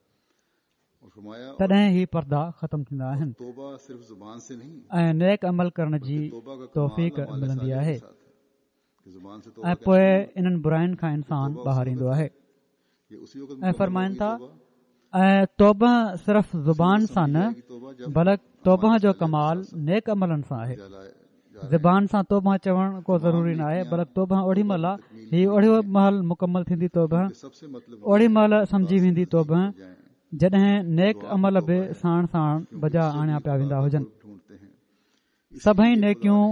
تڏهن هي پردا ختم ٿيندا آهن ۽ نيڪ عمل ڪرڻ جي توفيق ملندي آهي ۽ پوء انهن براين کان انسان ٻاهر ايندو آهي ۽ فرمائن ٿا ۽ توبه صرف زبان سان نه بلڪ توبه جو ڪمال نيڪ عملن سان آهي زبان سان توبه چوڻ ڪو ضروري ناهي بلڪ توبه اوڏي مهل هي اوڏي مهل مڪمل ٿيندي توبه اوڏي مهل سمجهي ويندي توبه جڏهن نيڪ عمل به ساڻ ساڻ بجا آڻيا پيا ويندا هجن سڀئي نيڪيون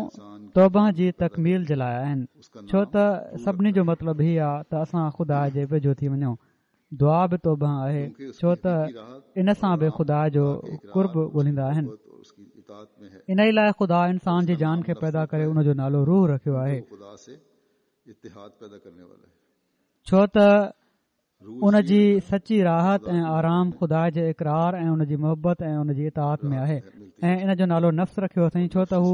توبه جي تڪميل جي لاء آهن ڇو ته سڀني جو مطلب هي آ ته اسان خدا جي ويجهو ٿي وڃون دعا به توبه آهي ڇو ته ان سان به خدا جو قرب ڳولهيندا آهن انهي لاء خدا انسان جي جان کي پيدا ڪري ان جو نالو روح رکيو آهي ڇو ته ان جي سچي راحت ۽ آرام خدا جي اقرار ۽ ان جي محبت ۽ ان جي اطاعت ۾ آهي ۽ ان جو نالو نفس رکيو اٿائين ڇو ته هو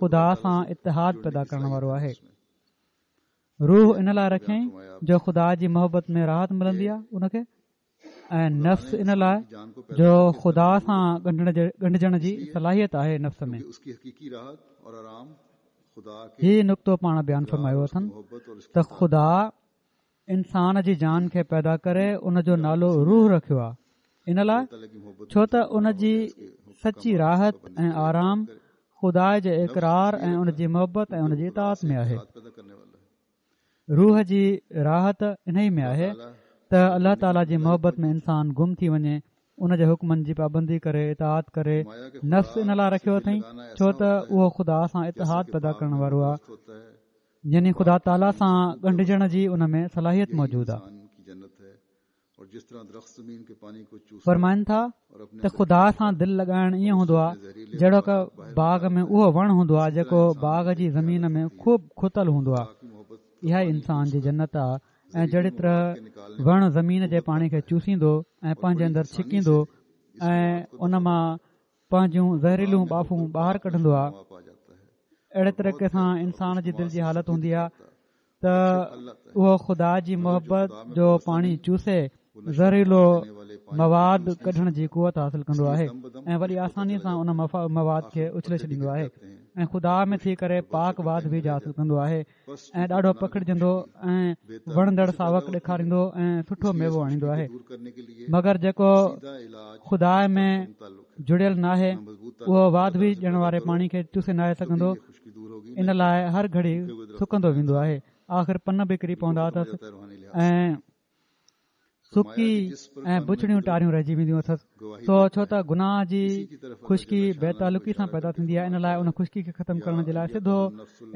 خدا سان اتحاد پيدا ڪرڻ وارو آهي روح ان لاء رکيائين جو خدا جي محبت ۾ راحت ملندي آهي ان کي. ۽ نفس ان لاء جو خدا سان ڳنڍجڻ جي صلاحيت آهي نفس ۾. هي نڪتو پاڻ بيان فرمايو اٿن ته خدا انسان جي جان کي پيدا ڪري ان جو نالو روح رکيو آهي ان لاء ڇو ته ان جي سچي راحت ۽ آرام خدا جي اقرار ۽ ان جي محبت ۽ ان جي اطاعت ۾ آهي. روح جي راحت انهي ۾ آهي ته الله تعالي جي محبت ۾ انسان گم ٿي وڃي ان جي حڪمن جي پابندي ڪري اطاعت ڪري نفس ان لاء رکيو اٿئي ڇو ته اهو خدا سان اتحاد پيدا ڪرڻ وارو آهي يعني خدا تعالي سان ڳنڍجڻ جي ان ۾ صلاحيت موجود آهي فرمائن ٿا ته خدا سان دل لڳائڻ ائين هوندو آهي جهڙوڪ باغ ۾ اهو وڻ هوندو آهي جيڪو باغ جي زمين ۾ خوب کتل هوندو آهي اها ئي انسان جي جنت آهي ۽ جهڙي طرح وڻ زمين جي پاڻي کي چوسيندو ۽ پنهنجي اندر ڇڪيندو ۽ ان مان پنهنجون زهريلون ٻاڦون ٻاهر ڪڍندو آهي اهڙي طريقي سان انسان جي دل جي حالت هوندي آهي ته اهو خدا جي محبت جو پاڻي چوسي زهريلو مواد ڪڍڻ جي قوت حاصل ڪندو آهي ۽ وڏي آساني سان ان مواد کي اڇلي ڇڏيندو آهي ۽ خدا ۾ ٿي ڪري پاڪ واڌ ويجهه حاصل ڪندو آهي ۽ ڏاڍو پکڙجندو ۽ وڻندڙ ساوڪ ڏيکاريندو ۽ سٺو ميوو آڻيندو آهي مگر جيڪو خدا ۾ جڙيل ناهي اهو واڌ ويجهه ڏيڻ واري پاڻي کي چوسي ناهي سگهندو ان لاء هر گهڙي سڪندو ويندو آهي آخر پن به ڪري پوندا اٿس ۽ سڪي ۽ بڇڙيون ٽاريون رهجي وينديون اٿس سو ڇو ته گناهه جي خشڪي بي تعلقي سان پيدا ٿيندي آهي ان لاء ان خشڪي کي ختم ڪرڻ جي لاء سڌو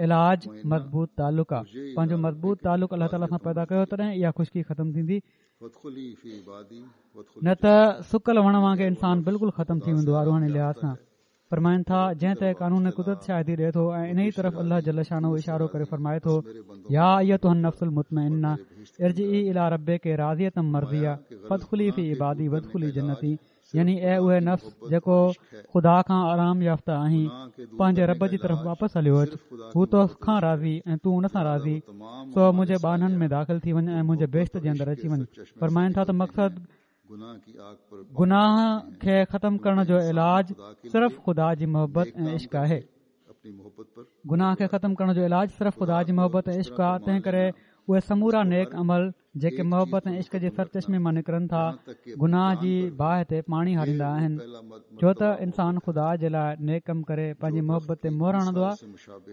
علاج مضبوط تعلق آهي پنهنجو مضبوط تعلق الله تعاليٰ سان پيدا ڪيو تڏهن اها خشڪي ختم ٿيندي نه ته سڪل وڻ وانگي انسان بلڪل ختم ٿي ويندو آهي روحاني لحاظ سان فرمائن ٿا، جنهن تي قانون قدرت شاهدي ڏئي ٿو ۽ انهيء طرف الله جل شانه اشارو ڪري فرمائي ٿو، يا ايتها النفس المطمئنه ارجعي الي ربڪ راضية مرضيه فادخلي في عبادي وادخلي جنتي يعني اي اهي نفس جيڪو خدا کان آرام يافته آهين پنهنجي رب جي طرف واپس هليو اچ هو تو کان راضي ۽ تون ان سان راضي سو منهنجي ٻانهن ۾ داخل ٿي وڃ ۽ منهنجي بهشت جي اندر اچي وڃ فرمائن ٿا ته مقصد گناهه کي ختم ڪرڻ جو علاج صرف خدا جي محبت ۽ عشق آهي گناهه کي ختم ڪرڻ جو علاج صرف خدا جي محبت ۽ عشق آهي تنهن ڪري اهي سمورا نيڪ عمل جيڪي محبت ۽ عشق جي سرچشمي مان نڪرن ٿا گناهه جي باهه تي پاڻي هاريندا آهن ڇو ته انسان خدا جي لاء نيڪ ڪم ڪري پنهنجي محبت تي مهر هڻندو آهي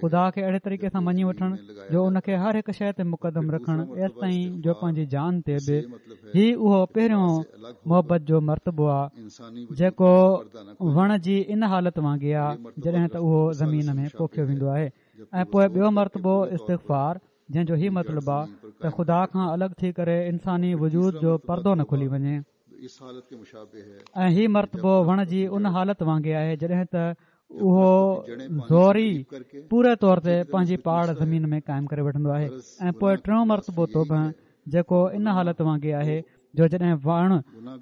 خدا کي اهڙي طريقي سان مڃي وٺڻ جو ان کي هر هڪ شيء تي مقدم رکڻ ايستائين جو پنهنجي جان تي به هي اهو پهريون محبت جو مرتبو آ جيڪو وڻ جي ان حالت وانگي آ جڏهن ته اهو زمين ۾ پوکيو ويندو آهي ۽ پوء ٻيو مرتبو استغفار جنهن جو هي مطلب آ ته خدا کان الڳ ٿي ڪري انساني وجود جو پردو نه کلي وڃي ۽ هي مرتبو وڻ جي ان حالت وانگي آهي جڏهن ته اهو زوري پوري طور تي پنهنجي پاڙ زمين ۾ قائم ڪري وٺندو آهي ۽ پوء ٽيون مرتبو توبه جيڪو ان حالت وانگي آهي جو جڏهن وڻ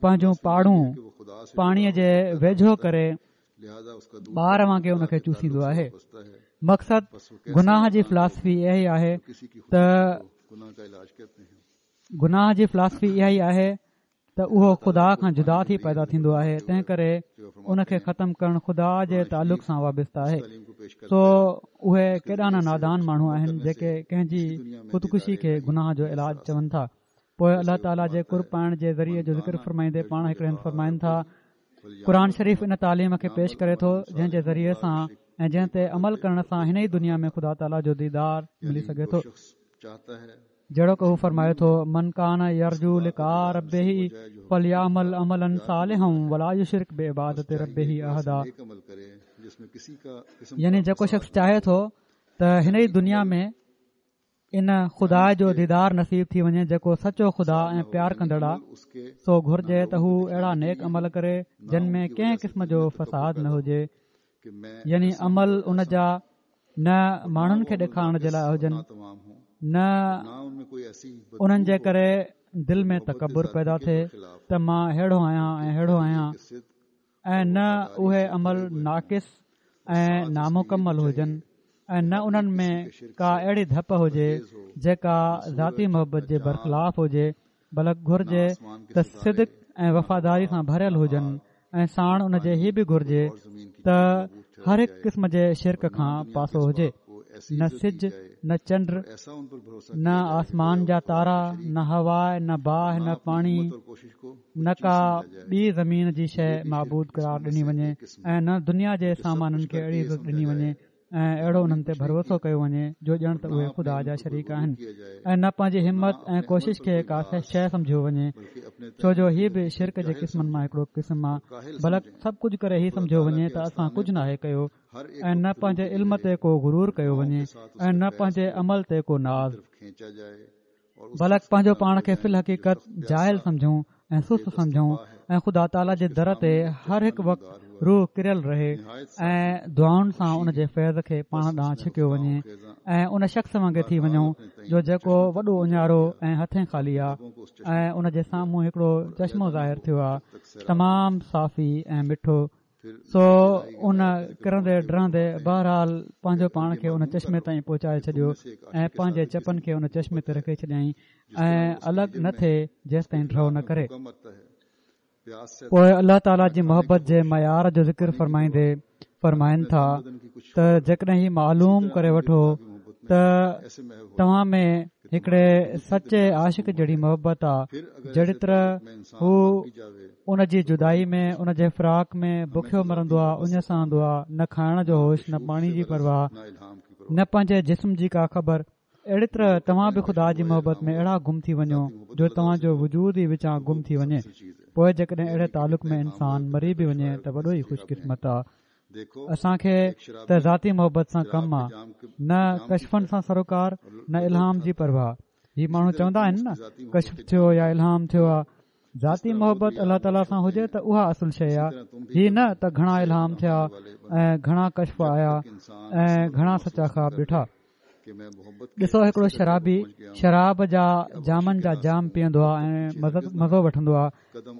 پنهنجون پاڙون پاڻي جي ويجهو ڪري ٻار وانگي ان کي چوسيندو آهي مقصد گناهه جي فلاسفي اها ئي آهي ته گناهه جي فلاسفي اها ئي آهي ته اهو خدا کان جدا ٿي پيدا ٿيندو آهي تنهن ڪري ان کي ختم ڪرڻ خدا جي تعلق سان وابسته آهي سو اهي ڪيڏا نه نادان ماڻهو آهن جيڪي ڪنهن جي خودڪشي کي گناهه جو علاج چون ٿا پوء الله تعاليٰ جي قرب پائڻ جي ذريعي جو ذڪر فرمائيندي پاڻ هڪڙي هنڌ فرمائن ٿا قرآن شريف ان تعليم کي پيش ڪري ٿو جنهن جي ذريعي سان ۽ جنهن تي عمل ڪرڻ سان هن ئي دنيا ۾ خدا تعاليٰ جو ديدار ملي سگهي ٿو جهڙوڪ هو فرمائي ٿو، من ڪان يرجو لقاء ربه فليعمل عملا صالحا ولا يشرڪ بعبادت ربه احدا يعني جيڪو شخص چاهي ٿو ته هن ئي دنيا ۾ ان خدا جو ديدار نصيب ٿي وڃي جيڪو سچو خدا ۽ پيار ڪندڙ آ سو گهرجي ته هو اهڙا نيڪ عمل ڪري جن ۾ ڪنهن قسم جو فساد نه هجي يعني عمل ان جا نه ماڻهن کي ڏيکارڻ جي لاء هجن نه انهن جي ڪري دل ۾ تڪبر پيدا ٿئي ته مان ههڙو آهيان ۽ ههڙو آهيان ۽ نه اهي عمل ناقص ۽ نامڪمل هجن ۽ نه انهن ۾ ڪا اهڙي ڌپ هجي جيڪا ذاتي محبت جي برخلاف هجي. بلڪ گهرجي ته صدق ۽ وفاداري سان ڀريل هجن ۽ ساڻ ان جي هي به گهرجي ته هر هڪ قسم جي شرڪ کان پاسو هجي نه سج نه چنڊ نه آسمان جا تارا نه هوا نه باهه نه پاڻي نه ڪا ٻي زمين جي شيء معبود قرار ڏني وڃي ۽ نه دنيا جي سامانن کي اهڙي عزت ڏني وڃي ۽ اهڙو انهن تي ڀروسو ڪيو وڃي جو ڄڻ ته اهي خدا جا شريڪ آهن ۽ نه پنهنجي همت ۽ ڪوشش کي ڪا شيء سمجهيو وڃي ڇو جو هي به شرڪ جي قسمن مان هڪڙو قسم آهي بلڪ سڀ ڪجهه ڪري هي سمجهيو وڃي ته اسان ڪجهه ناهي ڪيو ۽ نه پنهنجي علم تي ڪو غرور ڪيو وڃي ۽ نه پنهنجي عمل تي ڪو ناز بلڪ پنهنجو پاڻ کي في الحقيقت جاهل سمجهون ۽ سست سمجهون ۽ خدا تعاليٰ جي در تي هر هڪ وقت روح ڪريل رهي ۽ دعائن سان ان جي فيض کي پاڻ ڏانهن ڇڪيو وڃي ۽ ان شخص وانگي ٿي وڃون جو جيڪو وڏو اڃارو ۽ هٿين خالي آ ۽ ان جي سامهون هڪڙو چشمو ظاهر ٿيو آ تمام صافي ۽ مٺو سو ان ڪرندي ڊهندي بهرحال پنهنجو پاڻ کي ان چشمي تائين پهچائي ڇڏيو ۽ پنهنجي چپن کي ان چشمي تي رکي ڇڏيائين ۽ الڳ نه ٿئي جيستائين ڍؤ نه ڪري. پوء الله تعاليٰ جي محبت جي معيار جو ذڪر فرمائيندي فرمائن ٿا ته جيڪڏهن هي معلوم ڪري وٺو ته توهان ۾ هڪڙي سچي عاشق جهڙي محبت آ جهڙي طرح هو ان جي جدائي ۾ ان جي فراق ۾ بکيو مرندو آ اڃ سهندو آ نه کائڻ جو هوش نه پاڻي جي پرواهه نه پنهنجي جسم جي ڪا خبر اهڙي طرح توهان به خدا جي محبت ۾ اهڙا گم ٿي وڃو جو توهان جو وجود ئي وچان گم ٿي وڃي پوء جيڪڏهن اهڙي تعلق ۾ انسان مري به وڃي ته وڏو ئي خوش قسمت آ اسان کي ته ذاتي محبت سان ڪم آ نه ڪشفن سان سروڪار نه الهام جي پرواهه هي ماڻهو چوندا آهن نه ڪشف ٿيو يا الهام ٿيو آ ذاتي محبت الله تعاليٰ سان هجي ته اها اصل شيء آهي هي نه ته گهڻا الهام ٿيا ۽ گهڻا ڪشف آيا ۽ گهڻا سچا خواب ڏٺا ڏسو هڪڙو شرابي شراب جا جامن جا جام پيئندو آهي ۽ مزو وٺندو آهي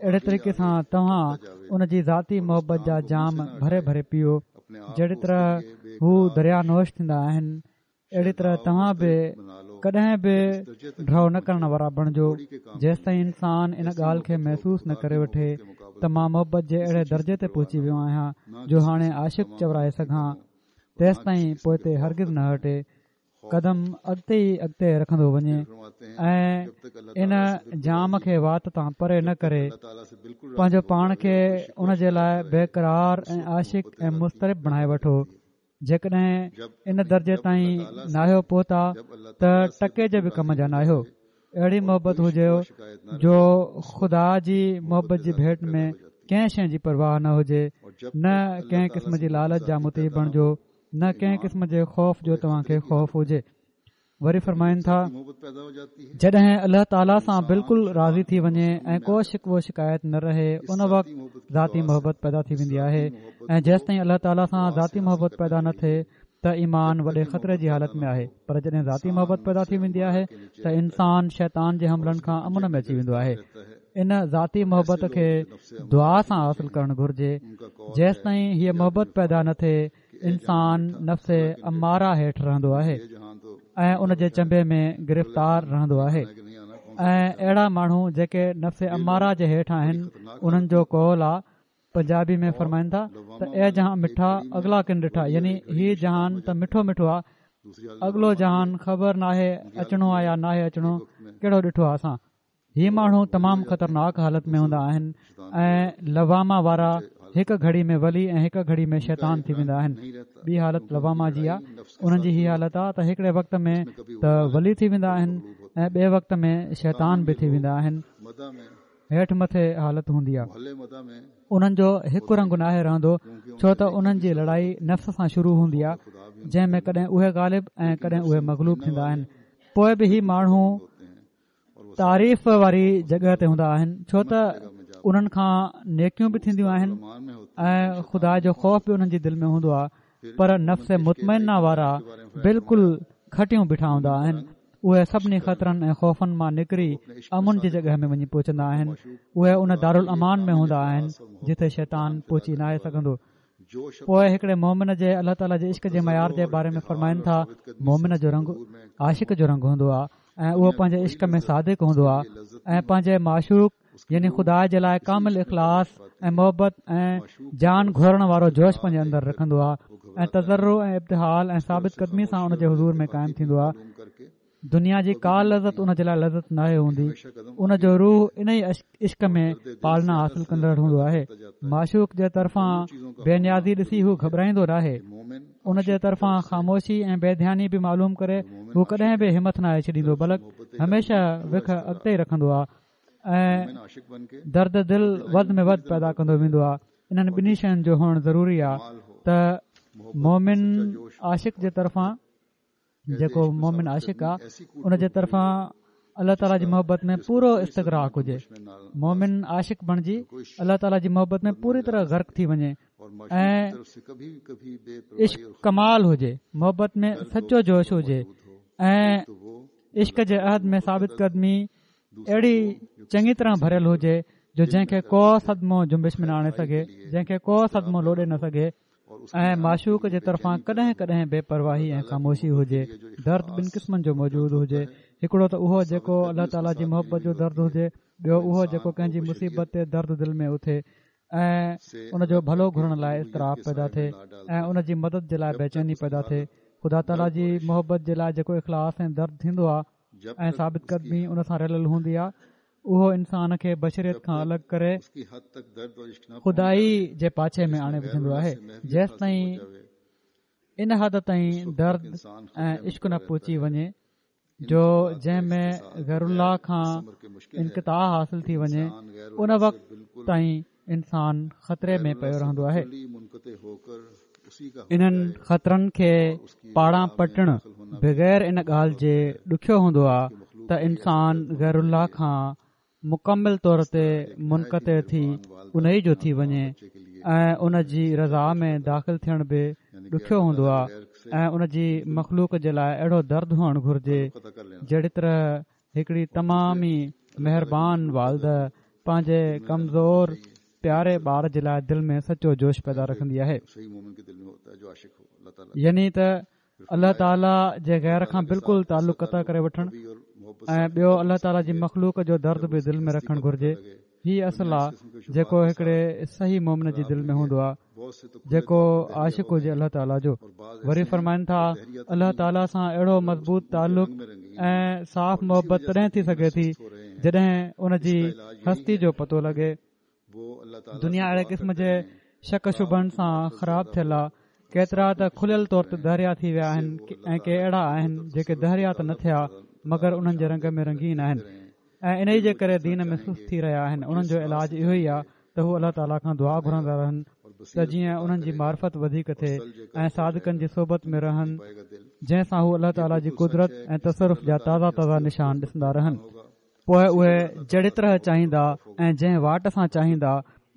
اهڙي طريقي سان توهان ان جي ذاتي محبت جا جام ڀري ڀري پيئو جهڙي طرح هو دريا نوش ٿيندا آهن اهڙي طرح توهان به ڪڏهن به ڍؤ نه ڪرڻ وارا بڻجو جيستائين انسان ان ڳالهه کي محسوس نه ڪري وٺي ته مان محبت جي اهڙي درجي تي پهچي ويو آهيان جو هاڻي عاشق چورائي سگهان تيستائين پوئتي هرگز نه هٽي قدم اڳتي ئي اڳتي رکندو وڃي ۽ ان جام کي وات تان پري نه ڪري پنهنجو پاڻ کي ان جي لاء بيقرار ۽ عاشق ۽ مضطرب بڻائي وٺو جيڪڏهن ان درجي تائين ناهيو پهتا ته ٽڪي جي به ڪم جا ناهيو. اهڙي محبت هجيو جو خدا جي محبت جي ڀيٽ ۾ ڪنهن شيء جي پرواهه نه هجي، نه ڪنهن قسم جي لالچ جا مطيع بڻجو، نه ڪنهن قسم جي خوف جو توهان کي خوف هجي. وري فرمائن ٿا جڏهن الله تعاليٰ سان بلڪل راضي ٿي وڃي ۽ ڪو شڪوو شڪايت نه رهي ان وقت ذاتي محبت پيدا ٿي ويندي آهي ۽ جيستائين الله تعاليٰ سان ذاتي محبت پيدا نه ٿئي ته ايمان وڏي خطري جي حالت ۾ آهي پر جڏهن ذاتي محبت پيدا ٿي ويندي آهي ته انسان شيطان جي حملن کان امن ۾ اچي ويندو آهي ان ذاتي محبت کي دعا سان حاصل ڪرڻ گهرجي جيستائين هيء محبت پيدا نه ٿئي انسان نفس اماره هيٺ رهندو آهي ۽ ان جي چنبي ۾ گرفتار رهندو آهي ۽ اهڙا ماڻهو جيڪي نفس اماره جي هيٺ آهن انهن جو قول آ پنجابي ۾ فرمائن ٿا ته اي جهان مٺا اگلا ڪن ڏٺا يعني هي جهان ته مٺو مٺو آ اڳلو جهان خبر ناهي اچڻو آ يا ناهي اچڻو ڪهڙو ڏٺو آ اسان هي ماڻهو تمام خطرناڪ حالت ۾ هوندا آهن ۽ لوامه وارا هڪ گهڙي ۾ ولي ۽ هڪ گهڙي ۾ شيطان ٿي ويندا آهن ٻي حالت لوامه جي آ انهن جي هي حالت آ ته هڪڙي وقت ۾ ته ولي ٿي ويندا آهن ۽ ٻئي وقت ۾ شيطان به ٿي ويندا آهن هيٺ مٿي حالت هوندي آ انهن جو هڪ رنگ ناهي رهندو ڇو ته انهن جي لڙائي نفس سان شروع هوندي آ جنهن ۾ ڪڏهن اهي غالب ۽ ڪڏهن اهي مغلوب ٿيندا آهن پوء به هي ماڻهو تعريف واري جڳهه تي هوندا آهن ڇو ته انهن کان نيڪيون به ٿينديون آهن ۽ خدا جو خوف به انهن جي دل ۾ هوندو آهي پر نفس مطمئنه وارا بلڪل کٽيون بيٺا هوندا آهن اهي سڀني خطرن ۽ خوفن مان نڪري امن جي جڳهه ۾ وڃي پهچندا آهن اهي ان دارالامان ۾ هوندا آهن جتي شيطان پهچي ناهي سگهندو پوء هڪڙي مومن جي الله تعاليٰ جي عشق جي معيار جي باري ۾ فرمائن ٿا مومن جو رنگ عاشق جو رنگ هوندو آهي. ۽ اهو پنهنجي عشق ۾ صادق هوندو آهي ۽ پنهنجي معشوق يعني خدا جي لاء ڪامل اخلاص ۽ محبت ۽ جان گهورڻ وارو جوش پنهنجي اندر رکندو آهي ۽ تضرع ۽ ابتهال ۽ ثابت قدمي سان ان جي حضور ۾ قائم ٿيندو آهي. دنيا جي ڪا لذت ان جي لاء لذت ناهي هوندي ان جو روح ان ئي عشق ۾ پالنا حاصل ڪندڙ هوندو آهي معشوق جي طرفان بي نيازي ڏسي هو گهٻرائيندو ناهي ان جي طرفان خاموشي ۽ بي ڌياني به معلوم ڪري هو ڪڏهن به همٿ ناهي ڇڏيندو بلڪ هميشه وک اڳتي ئي رکندو آهي ۽ درد دل وڌ ۾ وڌ پيدا ڪندو ويندو آهي انهن ٻنهي شين جو هئڻ ضروري آهي ته مومن عاشق جي طرفان جيڪو مومن عاشق آ ان جي طرفان الله تعاليٰ جي محبت ۾ پورو استغراق هجي مومن عاشق بڻجي الله تعاليٰ جي محبت ۾ پوري طرح غرق ٿي وڃي ۽ عشق ڪمال هجي محبت ۾ سچو جوش هجي ۽ عشق جي عهد ۾ ثابت قدمي اهڙي چڱي طرح ڀريل هجي جو جنهن کي ڪو صدمو جنبش ۾ نه آڻي سگهي جنهن کي ڪو صدمو لوڏي نه سگهي ۽ معشوق جي طرفان ڪڏهن ڪڏهن بي پرواهي ۽ خاموشي هجي درد ٻن قسمن جو موجود هجي هڪڙو ته اهو جيڪو الله تعاليٰ جي محبت جو درد هجي ٻيو اهو جيڪو ڪنهن جي مصيبت تي درد دل ۾ اٿي ۽ ان جو ڀلو گهرڻ لاء اضطراب پيدا ٿئي ۽ ان جي مدد جي لاء بيچيني پيدا ٿئي خدا تعاليٰ جي محبت جي لاء جيڪو اخلاص ۽ درد ٿيندو آهي ۽ ثابت قدمي ان سان رليل هوندي آهي اهو انسان کي بشريت کان الڳ ڪري خدائي جي پاڇي ۾ آڻي وجهندو آهي جيستائين ان حد تائين درد ۽ عشق نه پهچي وڃي جو جنهن ۾ غير الله کان انقطاع حاصل ٿي وڃي ان وقت تائين انسان خطري ۾ پيو رهندو آهي. انهن خطرن کي پاڙان پٽڻ بغير ان ڳالهه جي ڏکيو هوندو آهي ته انسان غير الله کان مڪمل طور تي منقطع ٿي انهي جو ٿي وڃي ۽ ان جي رضا ۾ داخل ٿيڻ به ڏکيو هوندو آهي ۽ ان جي مخلوق جي لاء اهڙو درد هئڻ گهرجي جهڙي طرح هڪڙي تمام ئي مهربان والده پنهنجي ڪمزور پياري ٻار جي لاء دل ۾ سچو جوش پيدا رکندي آهي. يعني ته الله تعاليٰ جي غير کان بلڪل تعلق قطع ڪري وٺڻ ۽ ٻيو الله تعاليٰ جي مخلوق جو درد به دل ۾ رکڻ گهرجي. هي اصل آ جيڪو هڪڙي صحيح مومن جي دل ۾ هوندو آ جيڪو عاشق هجي الله تعاليٰ جو وري فرمائن ٿا الله تعاليٰ سان اهڙو مضبوط تعلق ۽ صاف محبت تڏهن ٿي سگهي ٿي جڏهن ان جي هستي جو پتو لڳي دنيا اهڙي قسم جي شڪ شبهن سان خراب ٿيل آ ڪيترا ته کليل طور تي دهريا ٿي ويا آهن ۽ ڪي اهڙا آهن جيڪي دهريا ته نه ٿيا مگر انهن جي رنگ ۾ رنگين آهن ۽ انهي جي ڪري دين ۾ سست ٿي رهيا آهن انهن جو علاج اهو ئي آهي ته هو الله تعالي کان دعا گهرندا رهن ته جيئن انهن جي معرفت وڌيڪ ٿئي ۽ صادقن جي صحبت ۾ رهن جنهن سان هو الله تعالي جي قدرت ۽ تصرف جا تازا تازا نشان ڏسندا رهن پوء اهي جهڙي طرح چاهيندا ۽ جنهن واٽ سان چاهيندا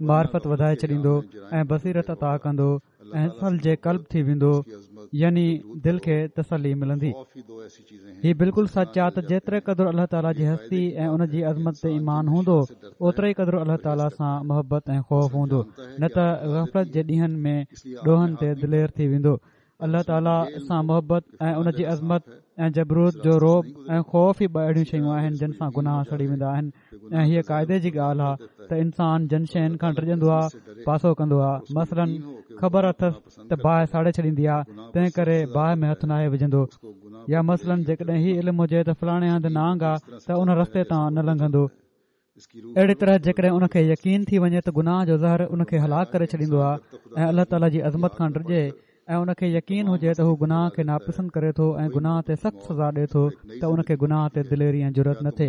معرفت وڌائي ڇڏيندو ۽ بصيرت عطا ڪندو ۽ ثلج قلب ٿي ويندو يعني دل کي تسلي ملندي هي بلڪل سچ آ ته جيتري قدر الله تعاليٰ جي هستي ۽ ان جي عظمت تي ايمان هوندو اوتري ئي قدر الله تعاليٰ سان محبت ۽ خوف هوندو نه ته غفلت جي ڏينهن ۾ ڏوهن تي دلير ٿي ويندو الله تعاليٰ سان محبت ۽ ان جي عظمت ۽ جبروت جو رعب ۽ خوف ئي ٻه اهڙيون شيون آهن جن سان گناهه سڙي ويندا آهن ۽ هيء قاعدي جي ڳالهه آهي ته انسان جن شين کان ڊڄندو آهي پاسو ڪندو آهي مثلاً خبر اٿس ته باهه ساڙي ڇڏيندي آهي تنهن ڪري باهه ۾ هٿ ناهي وجهندو يا مثلاً جيڪڏهن هي علم هجي ته فلاڻي هنڌ نانگ آهي ته ان رستي تان نه لنگهندو اهڙي طرح جيڪڏهن ان کي يقين ٿي وڃي ته گناهه جو زهر ان کي هلاڪ ڪري ڇڏيندو آهي ۽ الله تعالي جي عظمت کان ڊڄي ۽ ان کي يقين هجي ته هو گناهه کي ناپسند ڪري ٿو ۽ گناهه تي سخت سزا ڏي ٿو ته ان کي گناهه تي دليري ۽ جرئت نه ٿئي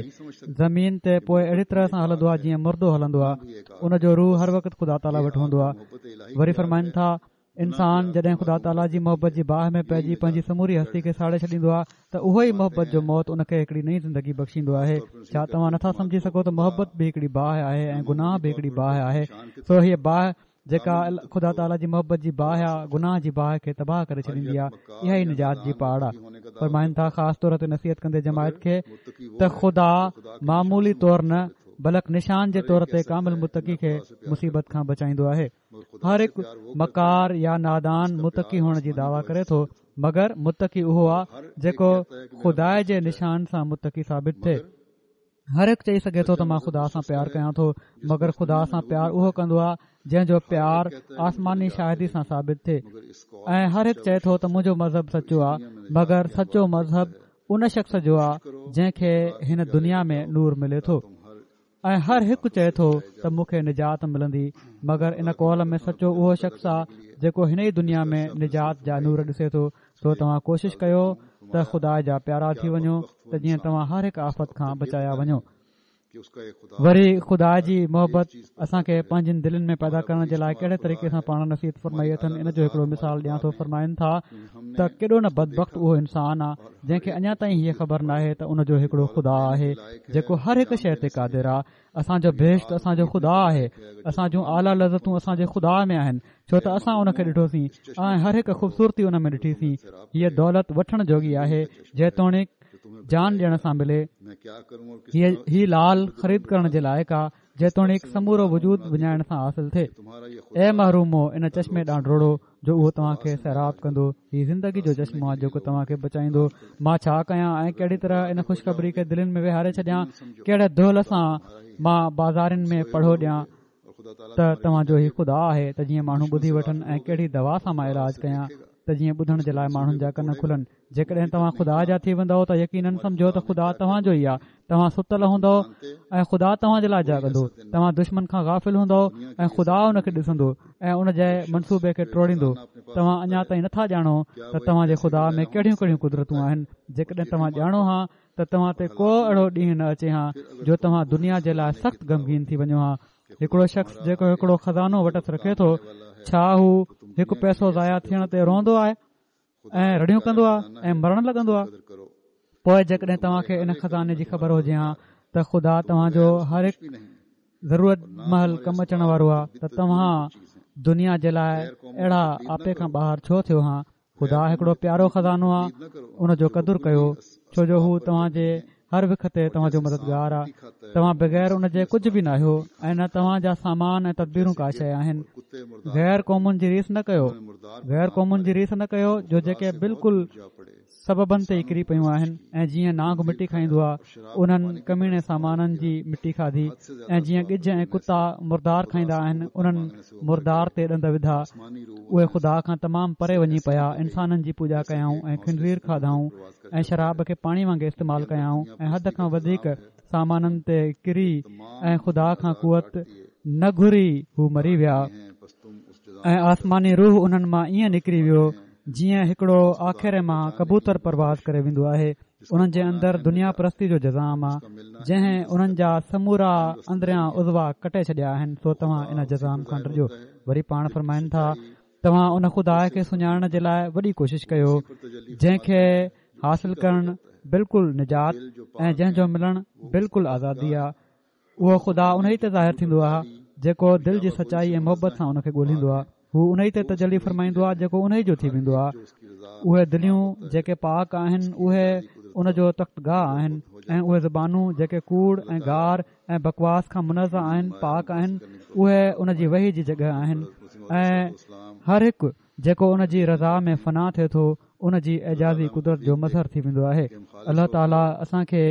زمين تي پوء اهڙي طرح سان هلندو آهي جيئن مردو هلندو آهي ان جو روح هر وقت خدا تعالي وٽ هوندو آهي وري فرمائن ٿا انسان جڏهن خدا تعاليٰ جي محبت جي باهه ۾ پئجي پنهنجي سموري هستي کي ساڙي ڇڏيندو آهي ته اهو ئي محبت جو موت ان کي هڪڙي نئين زندگي بخشيندو آهي ڇا توهان نٿا سمجهي سگهو ته محبت به هڪڙي باهه آهي ۽ گناهه به هڪڙي باهه آهي سو هيء باهه جيڪا خدا تعاليٰ جي محبت جي باهه آهي گناهه جي باهه کي تباهه ڪري ڇڏيندي آهي اها ئي نجات جي پاڙ آهي فرمائن ٿا خاص طور تي نصيحت ڪندي جماعت کي ته خدا معمولي طور نه بلڪ نشان جي طور تي ڪامل متقي کي مصيبت کان بچائيندو آهي هر هڪ مڪار يا نادان متقي هئڻ جي دعويٰ ڪري ٿو، مگر متقي اهو آ جيڪو خدا جي نشان سان متقي ثابت ٿئي. هر هڪ چئي سگهي ٿو ته مان خدا سان پيار ڪيان ٿو مگر خدا سان پيار اهو ڪندو آ جنهن جو پيار آسماني شاهدي سان ثابت ٿئي ۽ هر هڪ چئي ٿو ته منهنجو مذهب سچو آ مگر سچو مذهب ان شخص جو آ جنهن کي هن دنيا ۾ نور ملي ٿو ۽ هر هڪ چئي ٿو ته مون کي نجات ملندي مگر ان قول ۾ سچو اهو شخص آ جيڪو هن ئي دنيا ۾ نجات جا نور ڏسي ٿو سو توهان ڪوشش ڪيو ته خدا جا پيارا ٿي وڃو ته جيئن توهان هر هڪ آفت کان بچايا وڃو وري خدا جي محبت اسان کي پنهنجين دلين ۾ پيدا ڪرڻ جي لاء ڪهڙي طريقي سان پاڻ نصيحت فرمائي اٿن ان جو هڪڙو مثال ڏيان ٿو فرمائن ٿا ته ڪيڏو نه بدبخت اهو انسان آ جنهن کي اڃا تائين هيء خبر ناهي ته ان جو هڪڙو خدا آهي جيڪو هر هڪ شيء تي قادر آ اسان جو بهشت اسان جو خدا آهي اسان جون اعليٰ لذتون اسان جي خدا ۾ آهن ڇو ته اسان ان کي ڏٺوسين ۽ هر هڪ خوبصورتي ان ۾ ڏٺيسين هيء دولت وٺڻ جوڳي آهي جيتوڻيڪ جان ڏيڻ سان ملي هي لعل خريد ڪرڻ جي لائق آ جيتوڻيڪ سمورو وجود وڃائڻ سان حاصل ٿئي. اي محرومو! ان چشمي ڏانهن ڊوڙو جو اهو توهان کي سيراب ڪندو. هي زندگي جو چشمو آهي جيڪو توهان کي بچائيندو. مان ڇا ڪيان ۽ ڪهڙي طرح ان خوشخبري کي دلين ۾ ويهاري ڇڏيان؟ ڪهڙي دهل سان مان بازارين ۾ پڙهو ڏيان ته توهان جو هي خدا آهي ته جيئن ماڻهو ٻڌي وٺن ۽ ڪهڙي دوا سان مان علاج ڪيان ته جيئن ٻڌڻ جي لاء ماڻهن جا ڪن کلن. جيڪڏهن توهان خدا جا ٿي ويندؤ ته يقيناً سمجهو ته خدا توهان جو ئي آهي. توهان ستل هوندؤ ۽ خدا توهان جي لاء جاڳندو. توهان دشمن کان غافل هوندؤ ۽ خدا ان کي ڏسندو ۽ ان جي منصوبي کي ٽوڙيندو. توهان اڃا تائين نٿا ڄاڻو ته توهان جي خدا ۾ ڪهڙيون ڪهڙيون قدرتون آهن. جيڪڏهن توهان ڄاڻو ها ته توهان تي ڪو اهڙو ڏينهن نه اچي ها جو توهان دنيا جي لاء سخت غمگين ٿي وڃو ها. هڪڙو شخص جيڪو هڪڙو خزانو وٽس رکي ٿو، ڇا هو هڪ پئسو ضايع ٿيڻ تي روئندو آهي؟ ۽ رڙيون ڪندو آهي ۽ مرڻ لڳندو آهي پوء جيڪڏهن توهان کي ان خزاني جي خبر هجي ها ته خدا توهان جو هر هڪ ضرورت مهل ڪم اچڻ وارو آهي ته توهان دنيا جي لاء اهڙا آپي کان ٻاهر ڇو ٿيو ها خدا هڪڙو پيارو خزانو آهي ان جو قدر ڪيو ڇو جو هو توهان جي هر وک تي توهان جو مددگار آهي توهان بغير ان جي ڪجهه به ناهيو ۽ نه توهان جا سامان ۽ تدبيرون ڪا شيء آهن غير قومن جي ريس نه ڪيو غير قومن جي ريس نه ڪيو جو جيڪي بلڪل سببن تي ئي ڪري پيون آهن ۽ جيئن نانگ مٽي کائيندو آهي انهن ڪميڻي سامانن جي مٽي کاڌي ۽ جيئن ڳجهه ۽ ڪتا مردار کائيندا آهن انهن مردار تي ڏند وڌا اهي خدا کان تمام پري وڃي پيا انسانن جي پوڄا ڪيائون ۽ خنزير کاڌائون ۽ شراب کي پاڻي وانگي استعمال ڪيائون ۽ حد کان وڌيڪ سامانن تي ڪري ۽ خدا کان قوت نه گهري هو مري ويا ۽ آسماني روح انهن مان ائين نڪري ويو جيئن هڪڙو آکيري مان ڪبوتر پرواز ڪري ويندو آهي انهن جي اندر دنيا پرستي جو جذام آ جنهن انهن جا سمورا اندريان عضوا ڪٽي ڇڏيا آهن سو توهان ان جذام کان ڊڄو وري پاڻ فرمائن ٿا توهان ان خدا کي سڃاڻڻ جي لاء وڏي ڪوشش ڪيو جنهن کي حاصل ڪرڻ بلڪل نجات ۽ جنهن جو ملڻ بلڪل آزادي آهي اهو خدا ان ئي تي ظاهر ٿيندو آهي جيڪو دل جي سچائي ۽ محبت سان ان کي ڳولهيندو آهي هو ان ئي تي تجلي فرمائيندو آهي جيڪو ان ئي جو ٿي ويندو آهي اهي دليون جيڪي پاڪ آهن اهي ان جو تخت گاهه آهن ۽ اهي زبانون جيڪي ڪوڙ ۽ گار ۽ بڪواس کان منزه آهن پاڪ آهن اهي ان جي وحي جي جڳهه آهن ۽ هر هڪ جيڪو ان جي رضا ۾ فنا ٿئي ٿو ان جي اعجازي قدرت جو مظهر ٿي ويندو آهي الله تعاليٰ اسان کي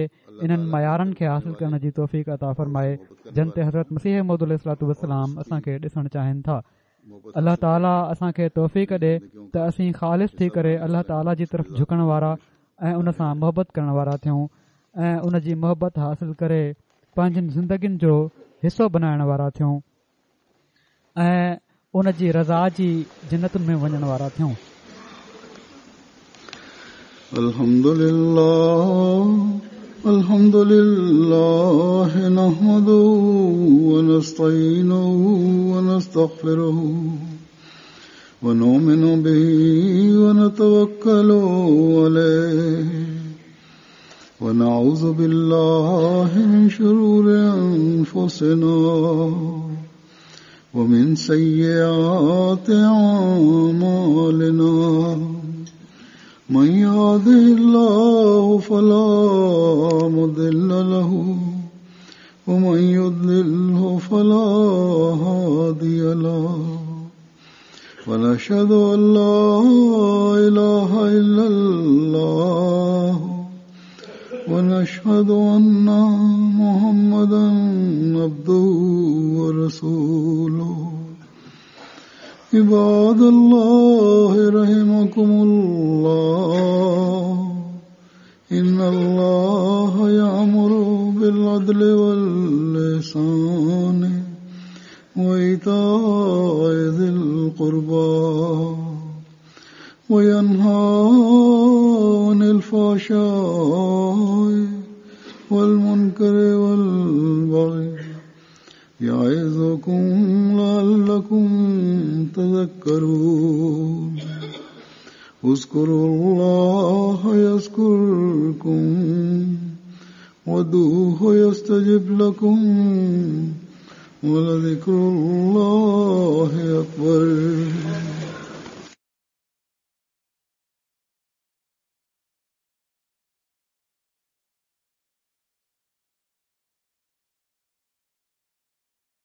انهن معيارن کي حاصل ڪرڻ جي توفيق عطا فرمائي جن تي حضرت مسيح موعود عليه الصلوٰة والسلام اسان کي ڏسڻ چاهين ٿا الله تعاليٰ اسان کي توفيق ڏي ته اسين خالص ٿي ڪري الله تعاليٰ جي طرف جهڪڻ وارا ۽ ان سان محبت ڪرڻ وارا ٿيون ۽ ان جي محبت حاصل ڪري پنهنجين زندگين جو حصو بنائڻ وارا ٿيون ۽ ان جي رضا جي جنتن ۾ وڃڻ وارا ٿيون. الحمد لله الحمد لله نحمده ونستعينه ونستغفره ونؤمن به ونتوكل عليه ونعوذ بالله من شرور أنفسنا ومن سيئات أعمالنا من يهده الله فلا مضل له ومن يضلله فلا هادي له. ونشهد أن لا إله إلا الله ونشهد أن محمدا عبده ورسوله. عباد الله رحمكم الله، إن الله يأمر بالعدل والإحسان وإيتاء ذي القربى وينهى عن الفحشاء والمنكر والبغي يعظكم لعلكم تذكرون. اذكروا الله يذكركم وادعوه يستجب لكم ولذكر الله أكبر.